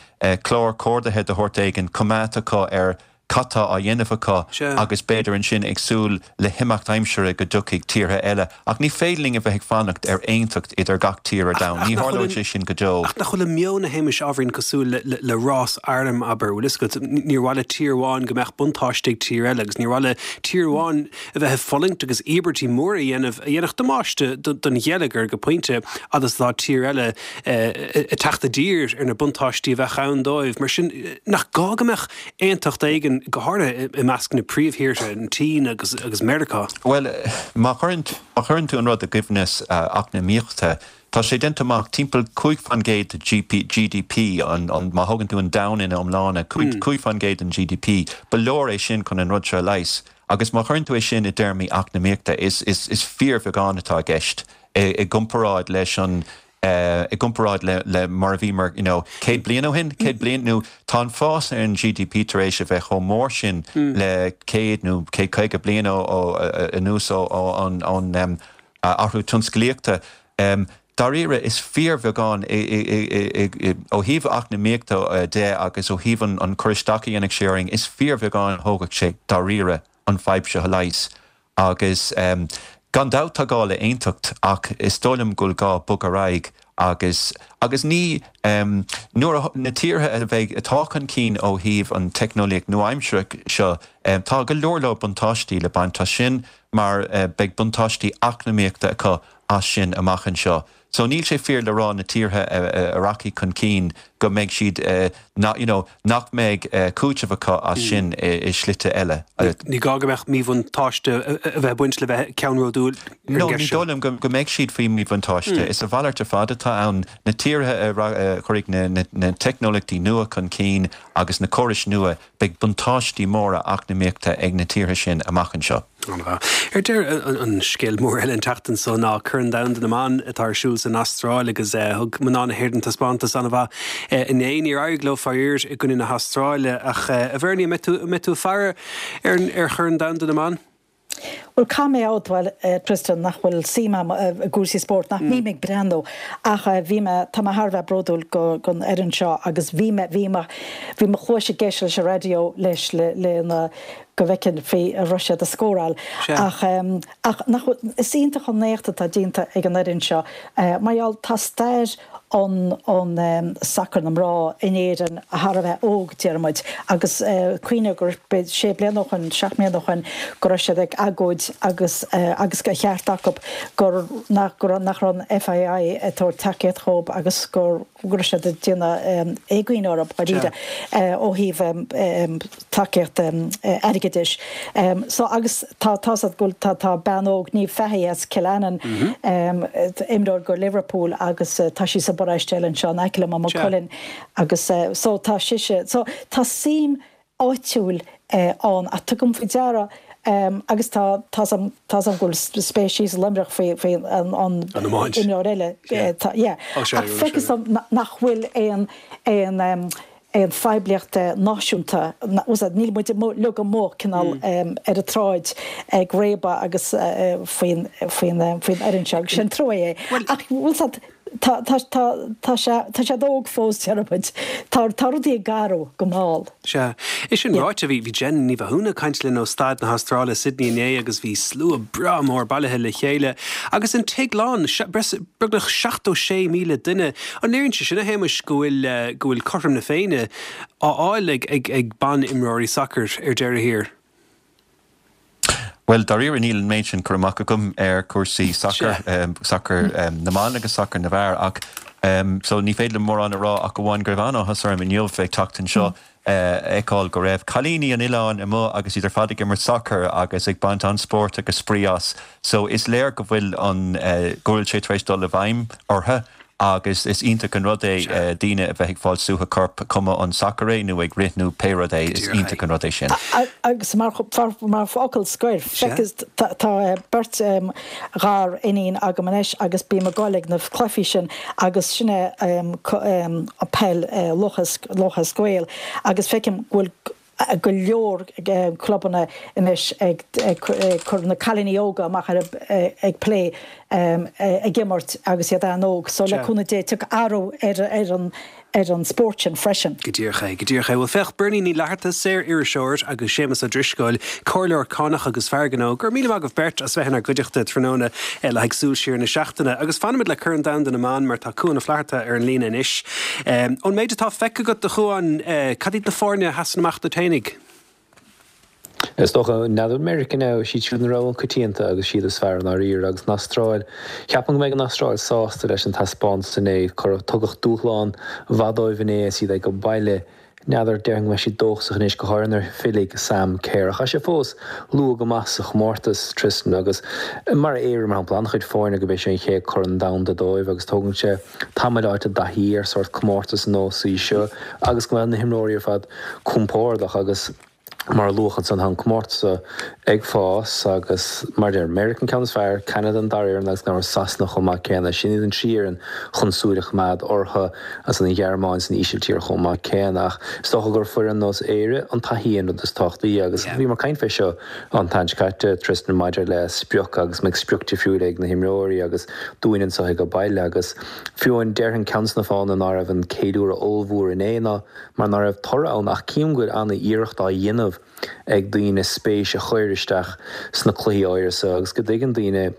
clár comhordaithe de shórt éigin coimeádta acu ar cad tá á dhéanamh acu agus b'fhéidir ansin ag súil le himeacht aimsire go dtiocfaidh tíortha eile. Ach ní féidir linn a bheith ag fanacht ar aontacht idir gach tír ar domhan. Ní tharlóidh sé sin go deo. Ach nach bhfuil an meon, a Shéamais, ábhairín cosúil le rás airm, abair, bhfuil fhios agat, níor mhaith le tír amháin go mbeadh buntáiste ag tír eile agus níor mhaith le tír amháin a bheith ag fulaingt agus íobairtí móra a dhéanamh a dhéanfadh damáiste don gheilleagar go pointe fhad is atá tír eile ag teacht i dtír ar na buntáistí a bheadh ann dóibh. Mar sin, nach gá go mbeadh aontacht éigin cinn, go háirithe i measc na príomhthíortha, an tSín agus agus Meiriceá. Bhuel, má chuireann má chuireann tú an rud i gcoibhneas eacnamaíochta, tá sé déanta amach timpeall cúig faoin gcéad de G D P, an an má thógann tú an domhan ina iomláine, cúig faoin gcéad den G D P, ba leor é sin chun an rud seo a leigheas. Agus má chuireann tú é sin i dtéarmaí eacnamaíochta, is is is fíorbheagán atá i gceist i gcomparáid leis an i gcomparáid le le mar a bhí mar you know, céad bliain ó shin, céad bliain nó tá an fás ar an G D P tar éis a bheith chomh mór sin le céad nó céad caoga bliain ó anuas ó an an athrú tionsclaíochta. Um, Dáiríre is fíorbheagán ó thaobh eacnamaíochta de agus ó thaobh an an cur isteach a dhéanfaidh sé orainn, is fíorbheagán thógfadh sé dáiríre an fhadhb seo a leigheas. Agus um, gan dabht tá gá le aontacht ach is dóigh liom go bhfuil gá bogadh ar aghaidh agus agus ní um, nuair na tíortha a bheidh atá chun cinn ó thaobh an teicneolaíocht nua-aimseartha seo um, tá go leor leor buntáistí le baint as sin mar uh, beidh buntáistí eacnamaíochta acu as sin amach anseo. So níl sé fíor le rá na tíortha a rachaidh chun cinn go mbeidh siad na, you know, nach mbeidh cúiteamh acu as sin i slite eile. Ní gá go mbeadh míbhuntáiste a bheith baint le bheith ceannródúil. No, ní dóigh liom go mbeidh siad faoi míbhuntáiste. Is a mhalairt ar fad atá ann na tíortha a chuirfidh na, na, na teicneolaíochtaí nua chun cinn agus na córais nua beidh buntáistí móra eacnamaíochta ag na tíortha sin amach anseo. Ar deireadh an scéal mór eile an tseachtain seo ná Corn Domhanda na mBan atá ar siúl san Astráil agus thug mná na hÉireann taispeántas an-mhaith inné níor éirigh leo faraor i gcoinne na hAstráile ach a Bhernie mbeidh tú faire ar ar Chorn Domhanda na mBan? Well caithfidh mé a admháil Tristan nach bhfuil suim i gcúrsaí spóirt nach mbím ag breathnú ach bhí mé tá mé thar a bheith bródúil go gon fhoireann seo agus bhí mé bhí mé bhí mo chluais ag éisteacht leis an raidió leis le le na go bhfeicfinn an raibh siad ag scóráil ach um, ach nach is iontach an éacht atá déanta ag an fhoireann seo uh, mar gheall tá stair an an um, sacar na mná in Éirinn thar a bheith óg deirmid agus uh, cuimhnigh gur sé bliana ó shin seacht mbliana ó shin go raibh siad ag agóid agus uh, agus go cheart acu gur nach gur nach raibh an F A I ag tabhairt tacaíocht dóibh agus gur gur siad ag déanamh um, éagaoin orthu dáiríre uh, ó thaobh um, um, tacaíocht um, airgeadais. Um, so agus tá tá go tá tá bean óg Niamh Fahey as Cill Aininn mm -hmm. um, imreoir go Liverpool agus uh, tá sí sa bparóiste anseo in aice liom Cullen agus uh, so tá sise so tá suim áitiúil uh, ann a tugaim faoi deara um, agus tá tá tá go spéis Luimneach faoi faoi an an imreoir eile feictear nach bhfuil aon aon um, aon phoiblíocht náisiúnta níl muid le go mór cineál mm. ar an tsráid ag réabadh agus faoin faoin faoin fhoireann seo sin trua é ach bhfuil tá tá sé óg fós deirmid Tá tá rudaí ag athrú go mall. Sea é sin ráite bhí bhí Jen Ní Mhathúna ag caint linn ó staid na hAstráile Sydney inné agus bhí slua breá mór bailithe le chéile agus an tigh lán beagnach seachtó sé míle duine an léiríonn sé sin a Shéamais go bhfuil go bhfuil cothrom na Féinne á fháil ag ag ag ban-imreoirí sacair ar deireadh thiar. Well dáiríre níl an méid sin cur amach agam ar cúrsaí sacar um, sacar um, na mban agus sacar na bhfear ach um, so ní féidir mórán a rá ach amháin go raibh an-áthas orm inniu bheith teacht anseo mm. uh, fheiceáil go raibh cailíní an oileáin amuigh agus iad ar fad ag imirt sacar agus ag baint an sport agus spraoi as. So is léir go bhfuil an uh, go bhfuil sé tar éis dul i bhfeidhm orthu agus is iontach an rud é uh, daoine a bheith ag fáil suaitheadh coirp cuma an sacar é nó ag rith nó pé rud é is iontach an rud é sin. Agus mar mar fhocal scoir tá beirt um, ghariníon agam anois agus bím ag gabháil ag na cluichí sin agus sinne um, um, peil uh, Lúthchleas Gael agus feicim go bhfuil go leor clubanna anois ag cur na cailíní óga amach ar ag plé ag imirt agus iad an-óg, so le cúnamh Dé tiocfaidh athrú ar ar an ar an spórt sin freisin. Go díreach é, go díreach é bhfuil féach Bernie Ní Fhlatharta saoririseoir agus Séamus Ó Drisceoil, comhairleoir cánach agus fear gnó, gur míle maith agaibh beirt as bheith inár gcuideachta tráthnóna eh, le haghaidh súil siar na seachtaine, agus fanfaimid le Corn Domhanda na mBan mar tá Cuan Ó Flatharta ar an líne anois. Um, ón méid atá feicthe agat a Chuain uh, cad iad na foirne a sheasann amach duit fhéinig? Is dócha n'fheadar Meiriceá ná siad siúd na rogha coitianta agus siad is fearr dáiríre agus an Astráil. Ceapaim go mbeidh an Astráil sásta leis an taispeántas inné chuir tugadh dúshlán mhaith dóibh inné siad ag go baile. N'fheadar, déarfainn go mbeidh siad dóchasach anois, go háirithe nuair a fillfidh Sam Kerr. Ach tá sé fós luath go maith sa chomórtas, Tristan, agus mar Éire, mar shampla, an-chuid foirne gurb é seo an chéad Chorn Domhanda dóibh agus tógann sé tamall a fháil i dtaithí ar sórt comórtas ar nós í seo agus go mbeadh na himreoirí ar fad compordach agus mar a luadh ansan, tá an comórtas seo ag fás agus mar a deir, Meiriceá an ceann is fearr, Ceanada an dara fhoireann agus gan amhras Sasana chomh maith céanna. Sin iad an trí fhoireann chun súil a choimeád orthu agus an Ghearmáin is an Ísiltír chomh maith céanna. Ach is dócha gur foireann nós Éire an taithí an rud is tábhachtaí agus bhíomar ag caint fé seo an tseachtain seo caite, Tristan, maidir le sprioc agus mbeidh sprioc difriúil ag na himreoirí agus dúinn anseo ag baile agus fiú amháin déarfainn ceann de na fáthanna ná raibh an ceiliúradh ollmhór inné ná mar ná raibh toradh ann ach cím go bhfuil an-iarracht á dhéanamh ag daoine spéis a chur isteach sna cluichí áirithe seo agus go dtuigeann daoine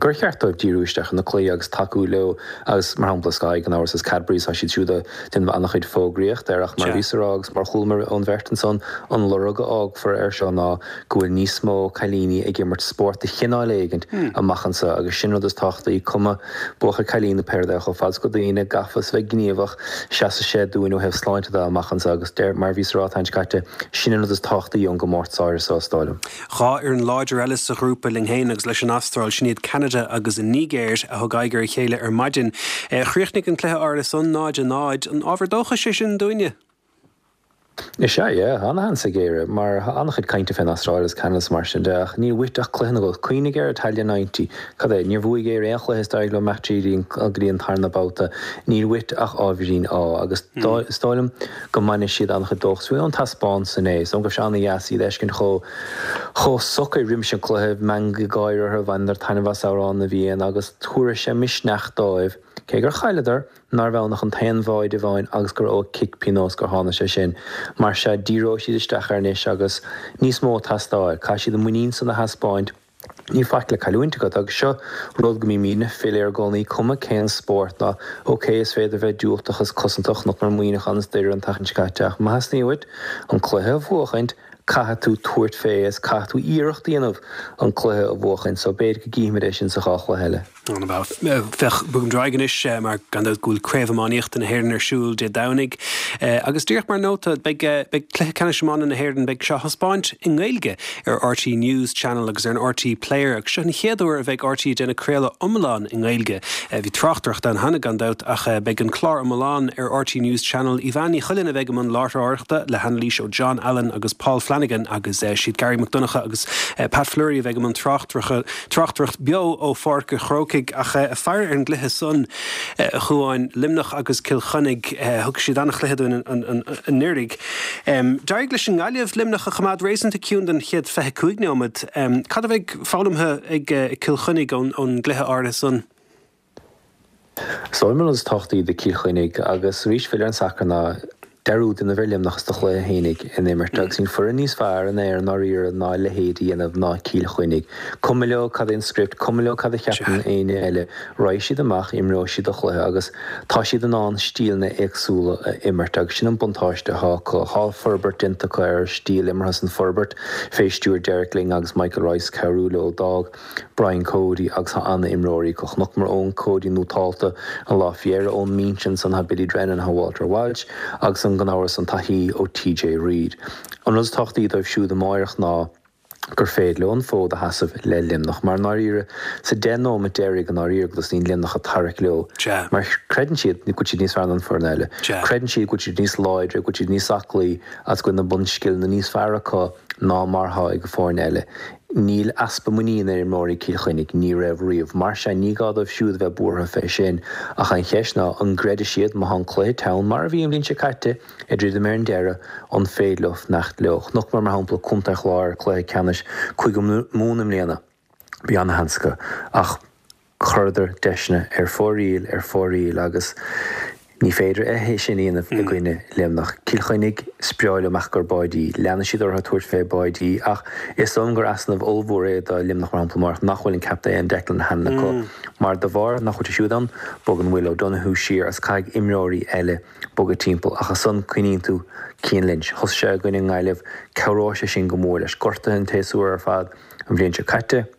gur cheart dóibh díriú isteach ar na cluichí agus tacú leo agus mar shampla Sky gan amhras is Cadbury's tá siad siúd ag déanamh an-chuid fógraíocht air ach mar a bhíos a rá agus mar chualamar ón bheirt ansan an lorg a fhágfar air seo ná go bhfuil níos mó cailíní ag imirt spórt de chineál éigint amach anseo agus sin rud is tábhachtaí cuma buachaill cailín nó pé rud é chomh fada is go bhfuil daoine gafa is bheith gníomhach seasfaidh sé dúinn ó thaobh sláinte de amach anseo agus deir mar a bhíos a rá an tseachtain seo caite sin an rud is tábhachtaí ón gcomórtas áirithe seo is dóigh liom. Dhá fhoireann láidir eile sa ghrúpa linn féin agus leis an Astráil, sin iad Ceanada agus an Nigéir a thug aghaidh ar a chéile ar maidin. Chríochnaigh an cluiche áirithe san náid a náid. An ábhar dóchais é sin dúinne? Is ea, yeah, ana-sheans ag Éire, mar tá an-chuid cainte fén Astráil agus Ceanada is mar sin de, ach níl uait ach cluiche nó dhó. Cuimhnigh ar Italia ninety, cad é, níor bhuaigh Éire aon chluiche is d'éirigh leo imeacht tríd go dtí an tarna babhta. Níl uait ach ábhairín ádh, agus is dóigh liom go mbainfidh siad an-chuid dóchas fiú ón taispeántas inné. Is dóigh liom go raibh sé an-dheas iad a fheiscint chomh chomh socair roimis an cluiche, meangadh gáire orthu, bhaineadar taitneamh as Amhrán na bhFiann agus tabharfaidh sé misneach dóibh, cé gur chailleadar, nárbh ann ach an t-aon bháide amháin agus gur ó chic pionóis gur tháinig sé sin. Mar sea, díreoidh siad isteach air anois agus níos mó ag teastáil. Caithfidh siad an muinín san a thaispeáint. Níl faic le cailliúint agat agus seo rud go mbímidne ag filleadh air i gcónaí, cuma cén spórt ná ok is féidir bheith diúltach is cosantach, chonaiceamar Muineachán is Doire an tseachtain seo caite ach má theastaíonn uait an cluiche a bhuachaint, caithfidh tú tabhairt fé is caithfidh tú iarracht a dhéanamh an cluiche a bhuachaint so b'fhéidir go gcífimid é sin sa dhá chluiche eile. Féach, bogaimid ar aghaidh anois mar gan dabht go bhfuil Craobh Iománaíochta na hÉireann ar siúl Dé Domhnaigh. Agus díreach mar nóta, beidh beidh Cluiche Ceannais Iomána na hÉireann, beidh sé á thaispeáint i nGaeilge ar RTÉ News Channel agus ar an RTÉ Player agus seo an chéad uair a bheidh RTÉ ag déanamh craoladh iomlán i nGaeilge. Bhí tráchtaireacht ann cheana gan dabht ach beidh an clár iomlán ar RTÉ News Channel. Yvonne Ní Chuilinn a bheidh i mbun láithreoireachta le hanailís ó John Allen agus Paul Flanagan agus siad Gary Mac Donncha agus Pat Fleury a bheidh i mbun tráchtaireacht beo ó Pháirc an Chrócaigh. Ach ag faire ar an gcluiche san, a Chuáin, Luimneach agus Cill Chainnigh, thug siad an-chluiche dúinn anuraidh. D'éirigh leis an nGaillimh Luimneach a choimeád réasúnta ciúin don chéad fiche cúig nóiméad. Cad a bheidh foghlamtha ag Cill Chainnigh ón gcluiche áirithe san? Is dóigh liom an rud is tábhachtaí do Chill Chainnigh agus arís filleadh ar an sacar ná dearúd a dhéanamh ar Luimneach is do chluiche fhéinig in imirt agus níl foireann níos fearr in Éirinn ndáiríre ná a leithéid a dhéanamh ná Cill Chainnigh. Cuma leo cad é an script, cuma leo cad a cheapann éinne eile, raghaidh siad amach, imreoidh siad a chluiche agus tá siad in ann stíleanna éagsúla a imirt agus sin an buntáiste atá acu. Tá forbairt déanta acu ar stíl imeartha san forbairt fé stiúir Derek Lyng agus Michael Rice cabhrú leo. D'fhág Brian Cody agus tá an-imreoirí acu. Chonaiceamar Eoin Cody nótálta an lá faoi dheireadh ón mbinse ansan tá Billy Drennan, tá Walter Walsh agus an gan amhras an taithí ó TJ Reid. An rud is tábhachtaí dóibh siúd amáireach ná gur féidir leo an fód a sheasamh le Luimneach mar i ndáiríre sa deich nóimeat deiridh i ndáiríre go dtosaíonn Luimneach ag tarrac leo mar creideann siad go bhfuil siad níos fearr ná an foireann eile. Creideann siad go bhfuil siad níos láidre, go bhfuil siad níos aclaí agus go bhfuil na bunscileanna níos fearr acu ná mar atá ag an foireann eile. Níl easpa muiníne ar imreoirí Chill Chainnigh, ní raibh riamh. Mar sin, ní gá dóibh siúd a bheith buartha fé sin, ach an cheist ná, an gcreidfidh siad, má tá an cluiche teann, mar a bhí an bhliain seo caite, ag druidim ar an deireadh, an féidir leo fanacht leo? Chonaiceamar, mar shampla, Contae an Chláir, cluiche ceannais Cúige Mumhan i mbliana. Bhí ana-sheans acu, ach chuireadar deiseanna ar fóraoil, ar fóraoil agus ní féidir é sin a dhéanamh i gcoinne Luimneach. Cill Chainnigh, is breá leo amach i gcomhair báidí. Leanfaidh siad orthu ag tabhairt fé báidí ach is dóigh liom gur easnamh ollmhór é do Luimneach mar shampla amárach nach bhfuil an captaen Declan Hannon acu mar de bharr nach bhfuil sé siúd ann, bogann Will O'Donoghue siar agus caithfidh imreoirí eile bogadh timpeall ach ansan cuimhníonn tú Cian Lynch. Thosaigh sé i gcoinne na Gaillimhe, cabhróidh sé sin go mór leis. Gortaithe an tséasúr ar fad an bhliain seo caite.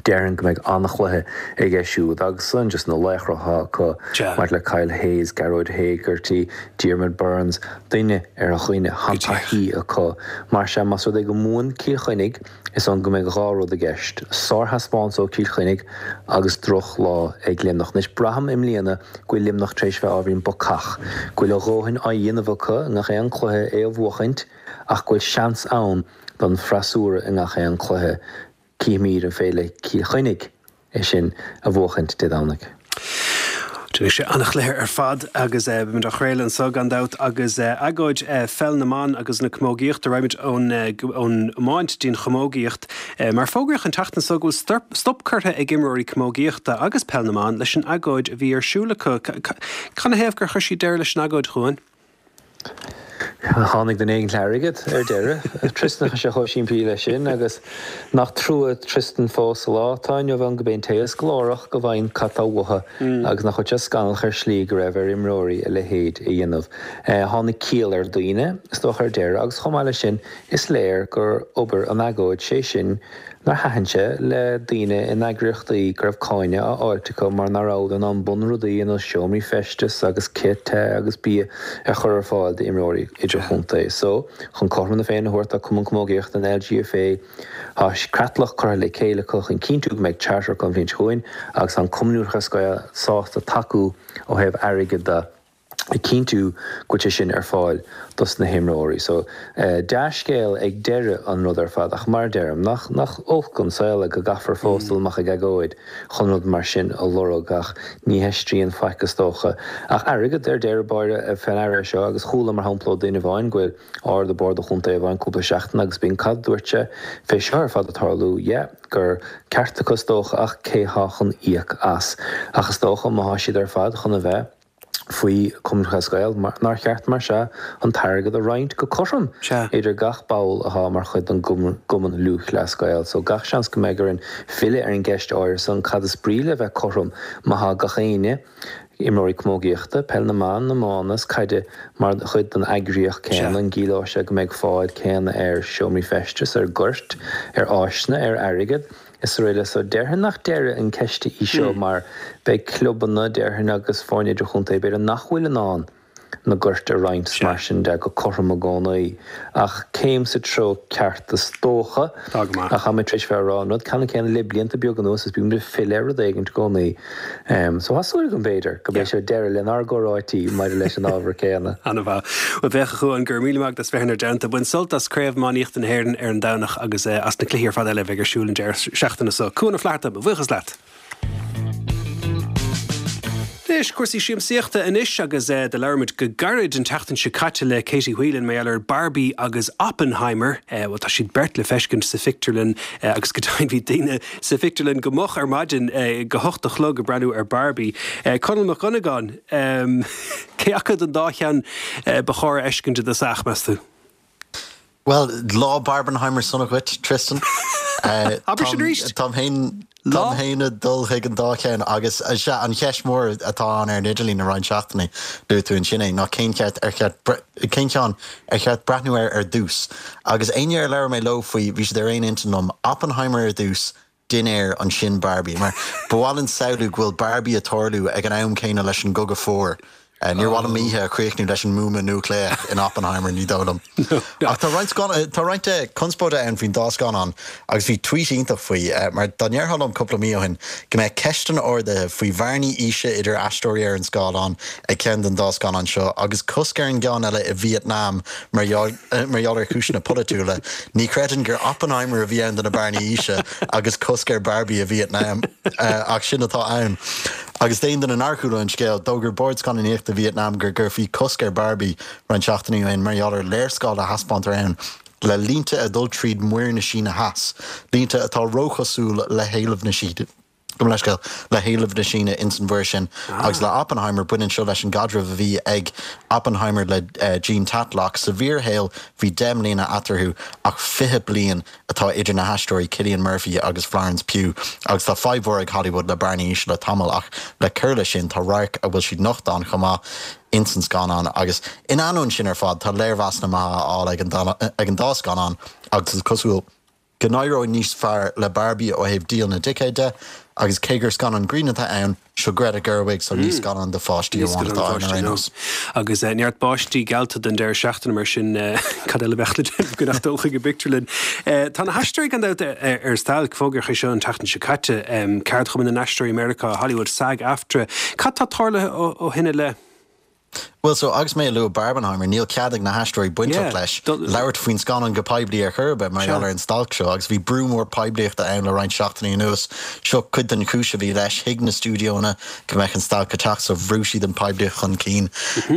Déarfainn go mbeidh an-chluiche aige siúd agus ansan just na laochra atá acu maidir le Kyle Hayes, Gearóid Hegarty, Diarmaid Byrnes, duine ar dhuine, tá an taithí acu. Mar sea, más rud é go mbuann Cill Chainnigh, is ann go mbeidh dhá rud i gceist, sárthaispeántas ó Chill Chainnigh agus drochlá ag Luimneach. Anois, braithim i mbliana go bhfuil Luimneach tar éis bheith ábhairín bacach, go bhfuil a dhóthain á dhéanamh acu i ngach aon chluiche é a bhuachaint ach go bhfuil seans ann don freasúra i ngach aon chluiche. Cífimid an féidir le Cill Chainnigh é sin a bhuachaint Dé Domhnaigh. Beidh sé an-chluiche ar fad agus beimid á chraoladh anseo gan dabht agus agóid pheil na mban agus na camógaíochta. Raghaimid ón ón iomáint dtí'n chamógaíocht mar fógraíodh an tseachtain seo go bhfuil stop curtha ag imreoirí camógaíochta agus peil na mban leis an agóid a bhí ar siúl acu. Canathaobh gur chuir siad deireadh leis an agóid, a Chuain? Tháinig duine éigin le hairgead ar deireadh. Tristan, tá sé chomh simplí leis sin agus nach trua Tristan fós sa lá atá inniu ann gurb é an té is glórach go bhfaigheann cad tá uathu agus nach bhfuil sé scannalach ar shlí go raibh ar imreoirí a leithéid a dhéanamh. Tháinig ciall ar dhaoine, is dócha ar deireadh agus chomh maith leis sin is léir gur obair an agóid, sé sin nár thaitin sé le daoine in eagraíochtaí go raibh cáineadh á fháilt acu mar nach rabhadar in ann bunrudaí ar nós seomraí feistis agus cith te agus bia a chur ar fáil d'imreoirí idirchontae. So, chun cothrom na Féinne a thabhairt tá Cumann Camógaíochta an LGFA, tá creatlach curtha le chéile acu chun cinntiú go mbeidh charter acu an bhliain seo chugainn agus tá an Cumann Lúthchleas Gael sásta tacú ó thaobh airgid de. ag cinntiú go bhfuil sé sin ar fáil dos na himreoirí. So, dea-scéal ag deireadh an rud ar fad ach mar a deirim, nach, nach olc an saol é go gcaithfear fós dul amach ag agóid chun rud mar sin a lorg ach ní haistríonn faic is dócha. Ach airgead ar deireadh báire fé ndeara é seo agus chuala mar shampla ó duine amháin go bhfuil ard i bord do chontae amháin cúpla seachtain agus b'in cad dúirt sé fé seo ar fad ag tarlú, yeah, gur ceart acu is dócha ach cé thá chun íoc as. Ach is dócha má thá siad ar fad chun a bheith. faoi Chumann Lúthchleas Gael, nár cheart, mar sea, an t-airgead a roinnt go cothrom idir gach ball athá mar chuid den gCumann Lúthchleas Gael. So gach seans go mbeidh orainn filleadh ar an gceist áirithe san, cad is brí le bheith cothrom má thá gach éinne, imreoirí camógaíochta, peil na mban, iomána is caide, mar chuid den eagraíocht céanna, an gciallóidh sé go mbeidh fáil céanna ar seomraí feistis, ar ghoirt, ar áiseanna, ar airgead? is araile So déarfainn nach deireadh an ceiste í seo mar beidh clubanna, déarfainn, agus foirne idirchontae, b'fhéidir, nach bhfuil in ann na goirt a roinnt is mar sin de go cothrom i gcónaí. Ach céim sa treo ceart is dócha. Tá go maith. Ach tá mé tar éis bheith ag rá an rud ceannann céanna le blianta beaga anuas is bímid ag filleadh ar rud éigin i gcónaí. So tá súil agam, b'fhéidir, go mbeidh seo deireadh lenár gcomhráití maidir leis an ábhar céanna. Ana-mhaith. Bhuel, féach, a Chuain, go raibh míle maith agat as bheith inár dteannta. Bain sult as Craobh Iománaíochta na hÉireann ar an Domhnach agus as na cluichí ar fad eile a bheidh ar siúl an deireadh seachtaine seo. Cuan Ó Flatharta, mo bhuíochas leat. Anois, cúrsaí siamsaíochta anois agus do labhair muid go gairid an tseachtain seo caite le Katie Whelan mar gheall ar Barbie agus Oppenheimer. Bhuel, tá siad beirt le feiscint sa phictiúrlann agus go deimhin bhí daoine sa phictiúrlann go moch ar maidin go hocht a chlog ag breathnú ar Barbie. Conall Mac Dhonnagáin, cé acu den dá cheann ba chóir a fheiscint i dtosach, meas tú? Bhuel, lá Barbenheimer sona dhuit, Tristan. Abair sin arís! Táim féin Táim féin ag dul chuig an dá cheann agus sea, an cheist mhór atá ann ar an idirlíon le roinnt seachtainí, luaigh tú ansin é, ná cén cheart ar cheart cén ceann ar cheart breathnú air ar dtús? Agus éinne ar labhair mé leo faoi, bhí siad ar aon intinn liom, Oppenheimer ar dtús, dinnéar, ansin Barbie. Mar ba mhaith linn samhlú go bhfuil Barbie ag tarlú ag an am céanna leis an gCogadh Fuar. Níor mhaith liom m'oíche a chríochnú leis an mbuama núicléach in Oppenheimer, ní dóigh liom. Ach tá roinnt tá roinnt conspóide ann faoin dá scannán agus bhí tweet iontach faoi, mar dá ndéarfá liom cúpla mí ó shin go mbeadh ceisteanna ardaithe faoi bhearnaí aoise idir aisteoirí ar an scáileán ag ceann den dá scannán seo agus cosc ar an gceann eile i Vítneam mar mar gheall ar chúiseanna polaitiúla, ní chreidfinn gur Oppenheimer a bhí ann do na bearnaí aoise agus cosc ar Barbie i Vítneam, ach sin atá ann. Agus d'aon duine nár chuala an scéal, d'fhógair Bord Scannánaíochta Vítneam go gcuirfí cosc ar Barbie roinnt seachtainí ó shin mar gheall ar léarscáil a thaispeántar ann le línte ag dul tríd Muir na Síne Theas, línte atá róchosúil le héilimh na Síne. Gabh mo leithscéal, le héilimh na Síne ins an mhuir sin. Agus le Oppenheimer, baineann seo leis an gcaidreamh a bhí ag Oppenheimer le Jean Tatlock. Sa bhfíorshaol, bhí deich mbliana eatarthu, ach fiche bliain atá idir na haisteoirí Cillian Murphy agus Florence Pugh. Agus tá fadhb mhór ag Hollywood le bearnaí aoise le tamall, ach le cur leis sin, tá radharc a bhfuil siad nochta ann chomh maith ins an scannán. Agus in ainneoin sin ar fad, tá léirmheasanna maithe á fháil ag an dá scannán agus is cosúil, go n-éireoidh níos fearr le Barbie ó thaobh díol na dticéad de, agus cé gur scannán grinn atá ann, seo Greta Gerwig so ní scannán do pháistí amháin atá ann ar aon nós. Agus neart báistí geallta don deireadh seachtaine mar sin cad eile a bheadh le déanamh gan ach dul chuig an bpictiúrlann. Tá na haisteoirí gan dabht ar stailc, fógraíodh é seo an tseachtain seo caite, Ceardchumann na nAisteoirí i Meiriceá, Hollywood, SAG-AFTRA. Cad tá tarlaithe ó shin i leith? Bhuel, so agus mé ag lua Barbenheimer, níl cead ag na haisteoirí bainteach leis labhairt faoin scannán go poiblí ar chor ar bith mar gheall ar an stailc seo agus bhí brú mór poiblíochta ann le roinnt seachtainí anuas. Seo cuid den chúis a bhí leis. Thuig na stiúideonna go mbeadh an stailc ag teacht so bhrú siad an poiblíocht chun cinn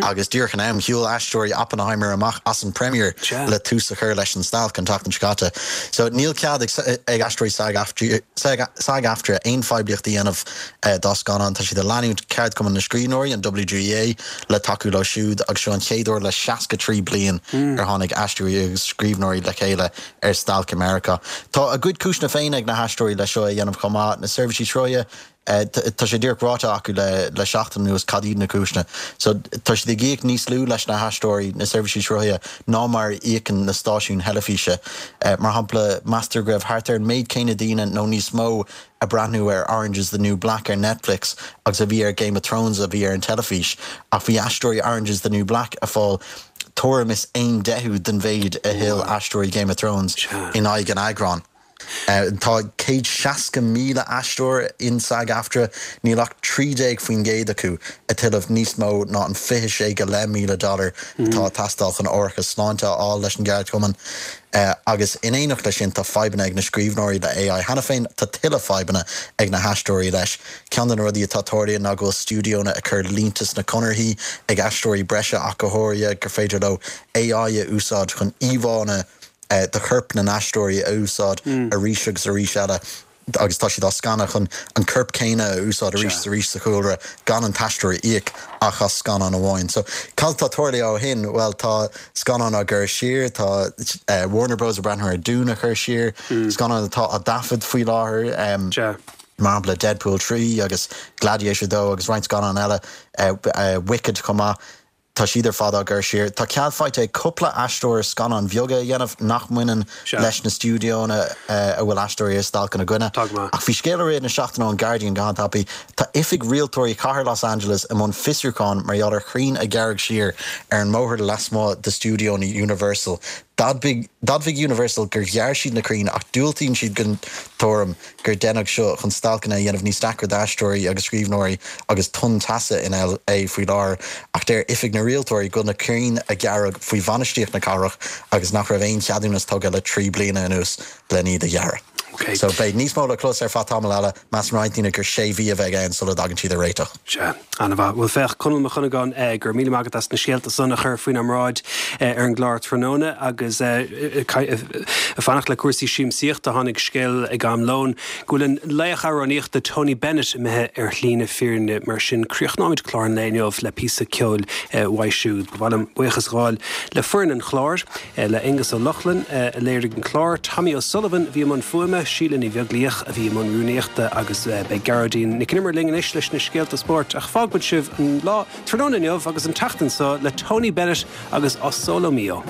agus díreach in am, shiúil aisteoirí Oppenheimer amach as an premiere le tús a chur leis an stailc an tseachtain seo caite. So níl cead ag aisteoirí SAG-AFTRA aon phoiblíocht a dhéanamh dá scannán. Tá siad ag leanúint ceardchumann na scríbhneoirí, an WGA, le tacú leo siúd agus seo an chéad uair le seasca trí bliain ar tháinig aisteoirí agus scríbhneoirí le chéile ar stailc i Meiriceá. Tá a gcuid cúiseanna féin ag na haisteoirí le seo a dhéanamh chomh maith, na seirbhísí sruthaithe, tá sé díreach ráite acu le le seachtain anuas cad iad na cúiseanna. So tá siad ag íoc níos lú leis na haisteoirí, na seirbhísí sruthaithe, ná mar a íocann na stáisiúin theilifíse. Mar shampla, meastar go raibh thart ar an méid céanna daoine nó níos mó ag breathnú ar Orange is the New Black ar Netflix agus a bhí ar Game of Thrones a bhí ar an teilifís, ach bhí aisteoirí Orange is the New Black ag fáil tuairim is aon deichiú den mhéid a thuill aisteoirí Game of Thrones in aghaidh an eagráin. Tá céad seasca míle aisteoir in SAG-AFTRA, níl ach trí déag faoin gcéad acu ag tuilleamh níos mó ná an fiche sé go leith míle dollar atá ag teastáil chun árachas sláinte a fháil leis an gceardchumann. Agus in éineacht leis sin, tá fadhbanna ag na scríbhneoirí le AI cheana féin, tá tuilleadh fadhbanna ag na haisteoirí leis. Ceann de na rudaí atá tarlaithe ná go bhfuil stiúideonna ag cur línte sna conarthaí ag aisteoirí breise ach go háirithe gur féidir leo AI a úsáid chun íomhánna de choirp na n-aisteoirí a úsáid arís agus arís eile. agus tá siad á scanadh chun an corp céanna a úsáid arís is arís sa chúlra gan an t-aisteoir a íoc ach as scannán amháin. So cad atá tarlaithe ó shin? Bhuel tá scannáin á gcur siar, tá Warner Bros ag breathnú ar Dune a chur siar, scannáin atá á dtaifead faoi láthair, mar shampla Deadpool trí agus Gladiator dó agus roinnt scannán eile, Wicked chomh maith. Tá siad ar fad á gcur siar. Tá cead faighte ag cúpla aisteoir scannáin bheaga a dhéanamh nach mbaineann leis na stiúideonna a bhfuil aisteoirí ar stailc ina gcoinne. Ach bhí scéal i rith na seachtaine ón Guardian go han-tapaidh. Tá oifig rialtóirí chathair Los Angeles i mbun fiosrúcháin mar gheall ar chrainn a gearradh siar ar an mbóthar lasmuigh de stiúideonna Universal. D'admhaigh Universal gur ghearr siad na crainn ach diúltaíonn siad don tuairim gur deineadh seo chun stailceanna a dhéanamh níos deacra d'aisteoirí agus scríbhneoirí agus tonn teasa in LA faoi láthair ach deir Oifig na Rialtóirí go bhfuil na crainn a gearradh faoi bhainistíocht na cathrach agus nach raibh aon cheadúnas tugtha le trí bliana anuas len iad a ghearradh. So beidh níos mó le clos ar feadh tamall eile, measann roinnt daoine gur sé mhí a bheidh ann sula dtagann siad ar réiteach. Sea, an-mhaith. Bhuel féach, Conall Mac Dhonnagáin, go raibh míle maith agat as na scéalta san a chur faoinár mbráid ar an gclár tráthnóna agus ag fanacht le cúrsaí siamsaíochta, tháinig scéal ag am lóin go bhfuil an laoch amhránaíochta Tony Bennett imithe ar shlí na fírinne. Mar sin, críochnóimid clár an lae inniu le píosa ceoil uaidh siúd. Ba mhaith liom buíochas a ghabháil le foireann an chláir, le Aonghus Ó Lochlainn a léirigh an clár, Tommy O'Sullivan a bhí i mbun fuaime, Síle Ní Bheaglaoich a bhí i mbun rúnaíochta agus beidh Gearóidín Nic an Iomaire linn anois leis na scéalta spóirt ach fágfaimid sibh an lá tráthnóna inniu agus an tseachtain seo le Tony Bennett agus O Sole Mio.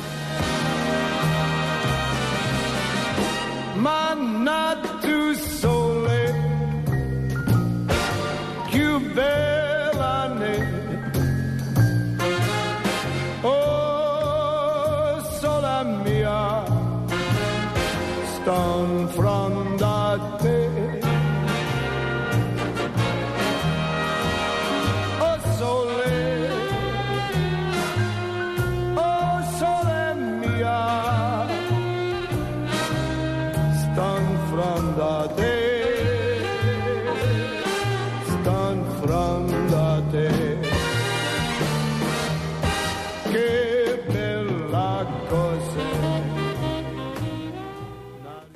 Ma not to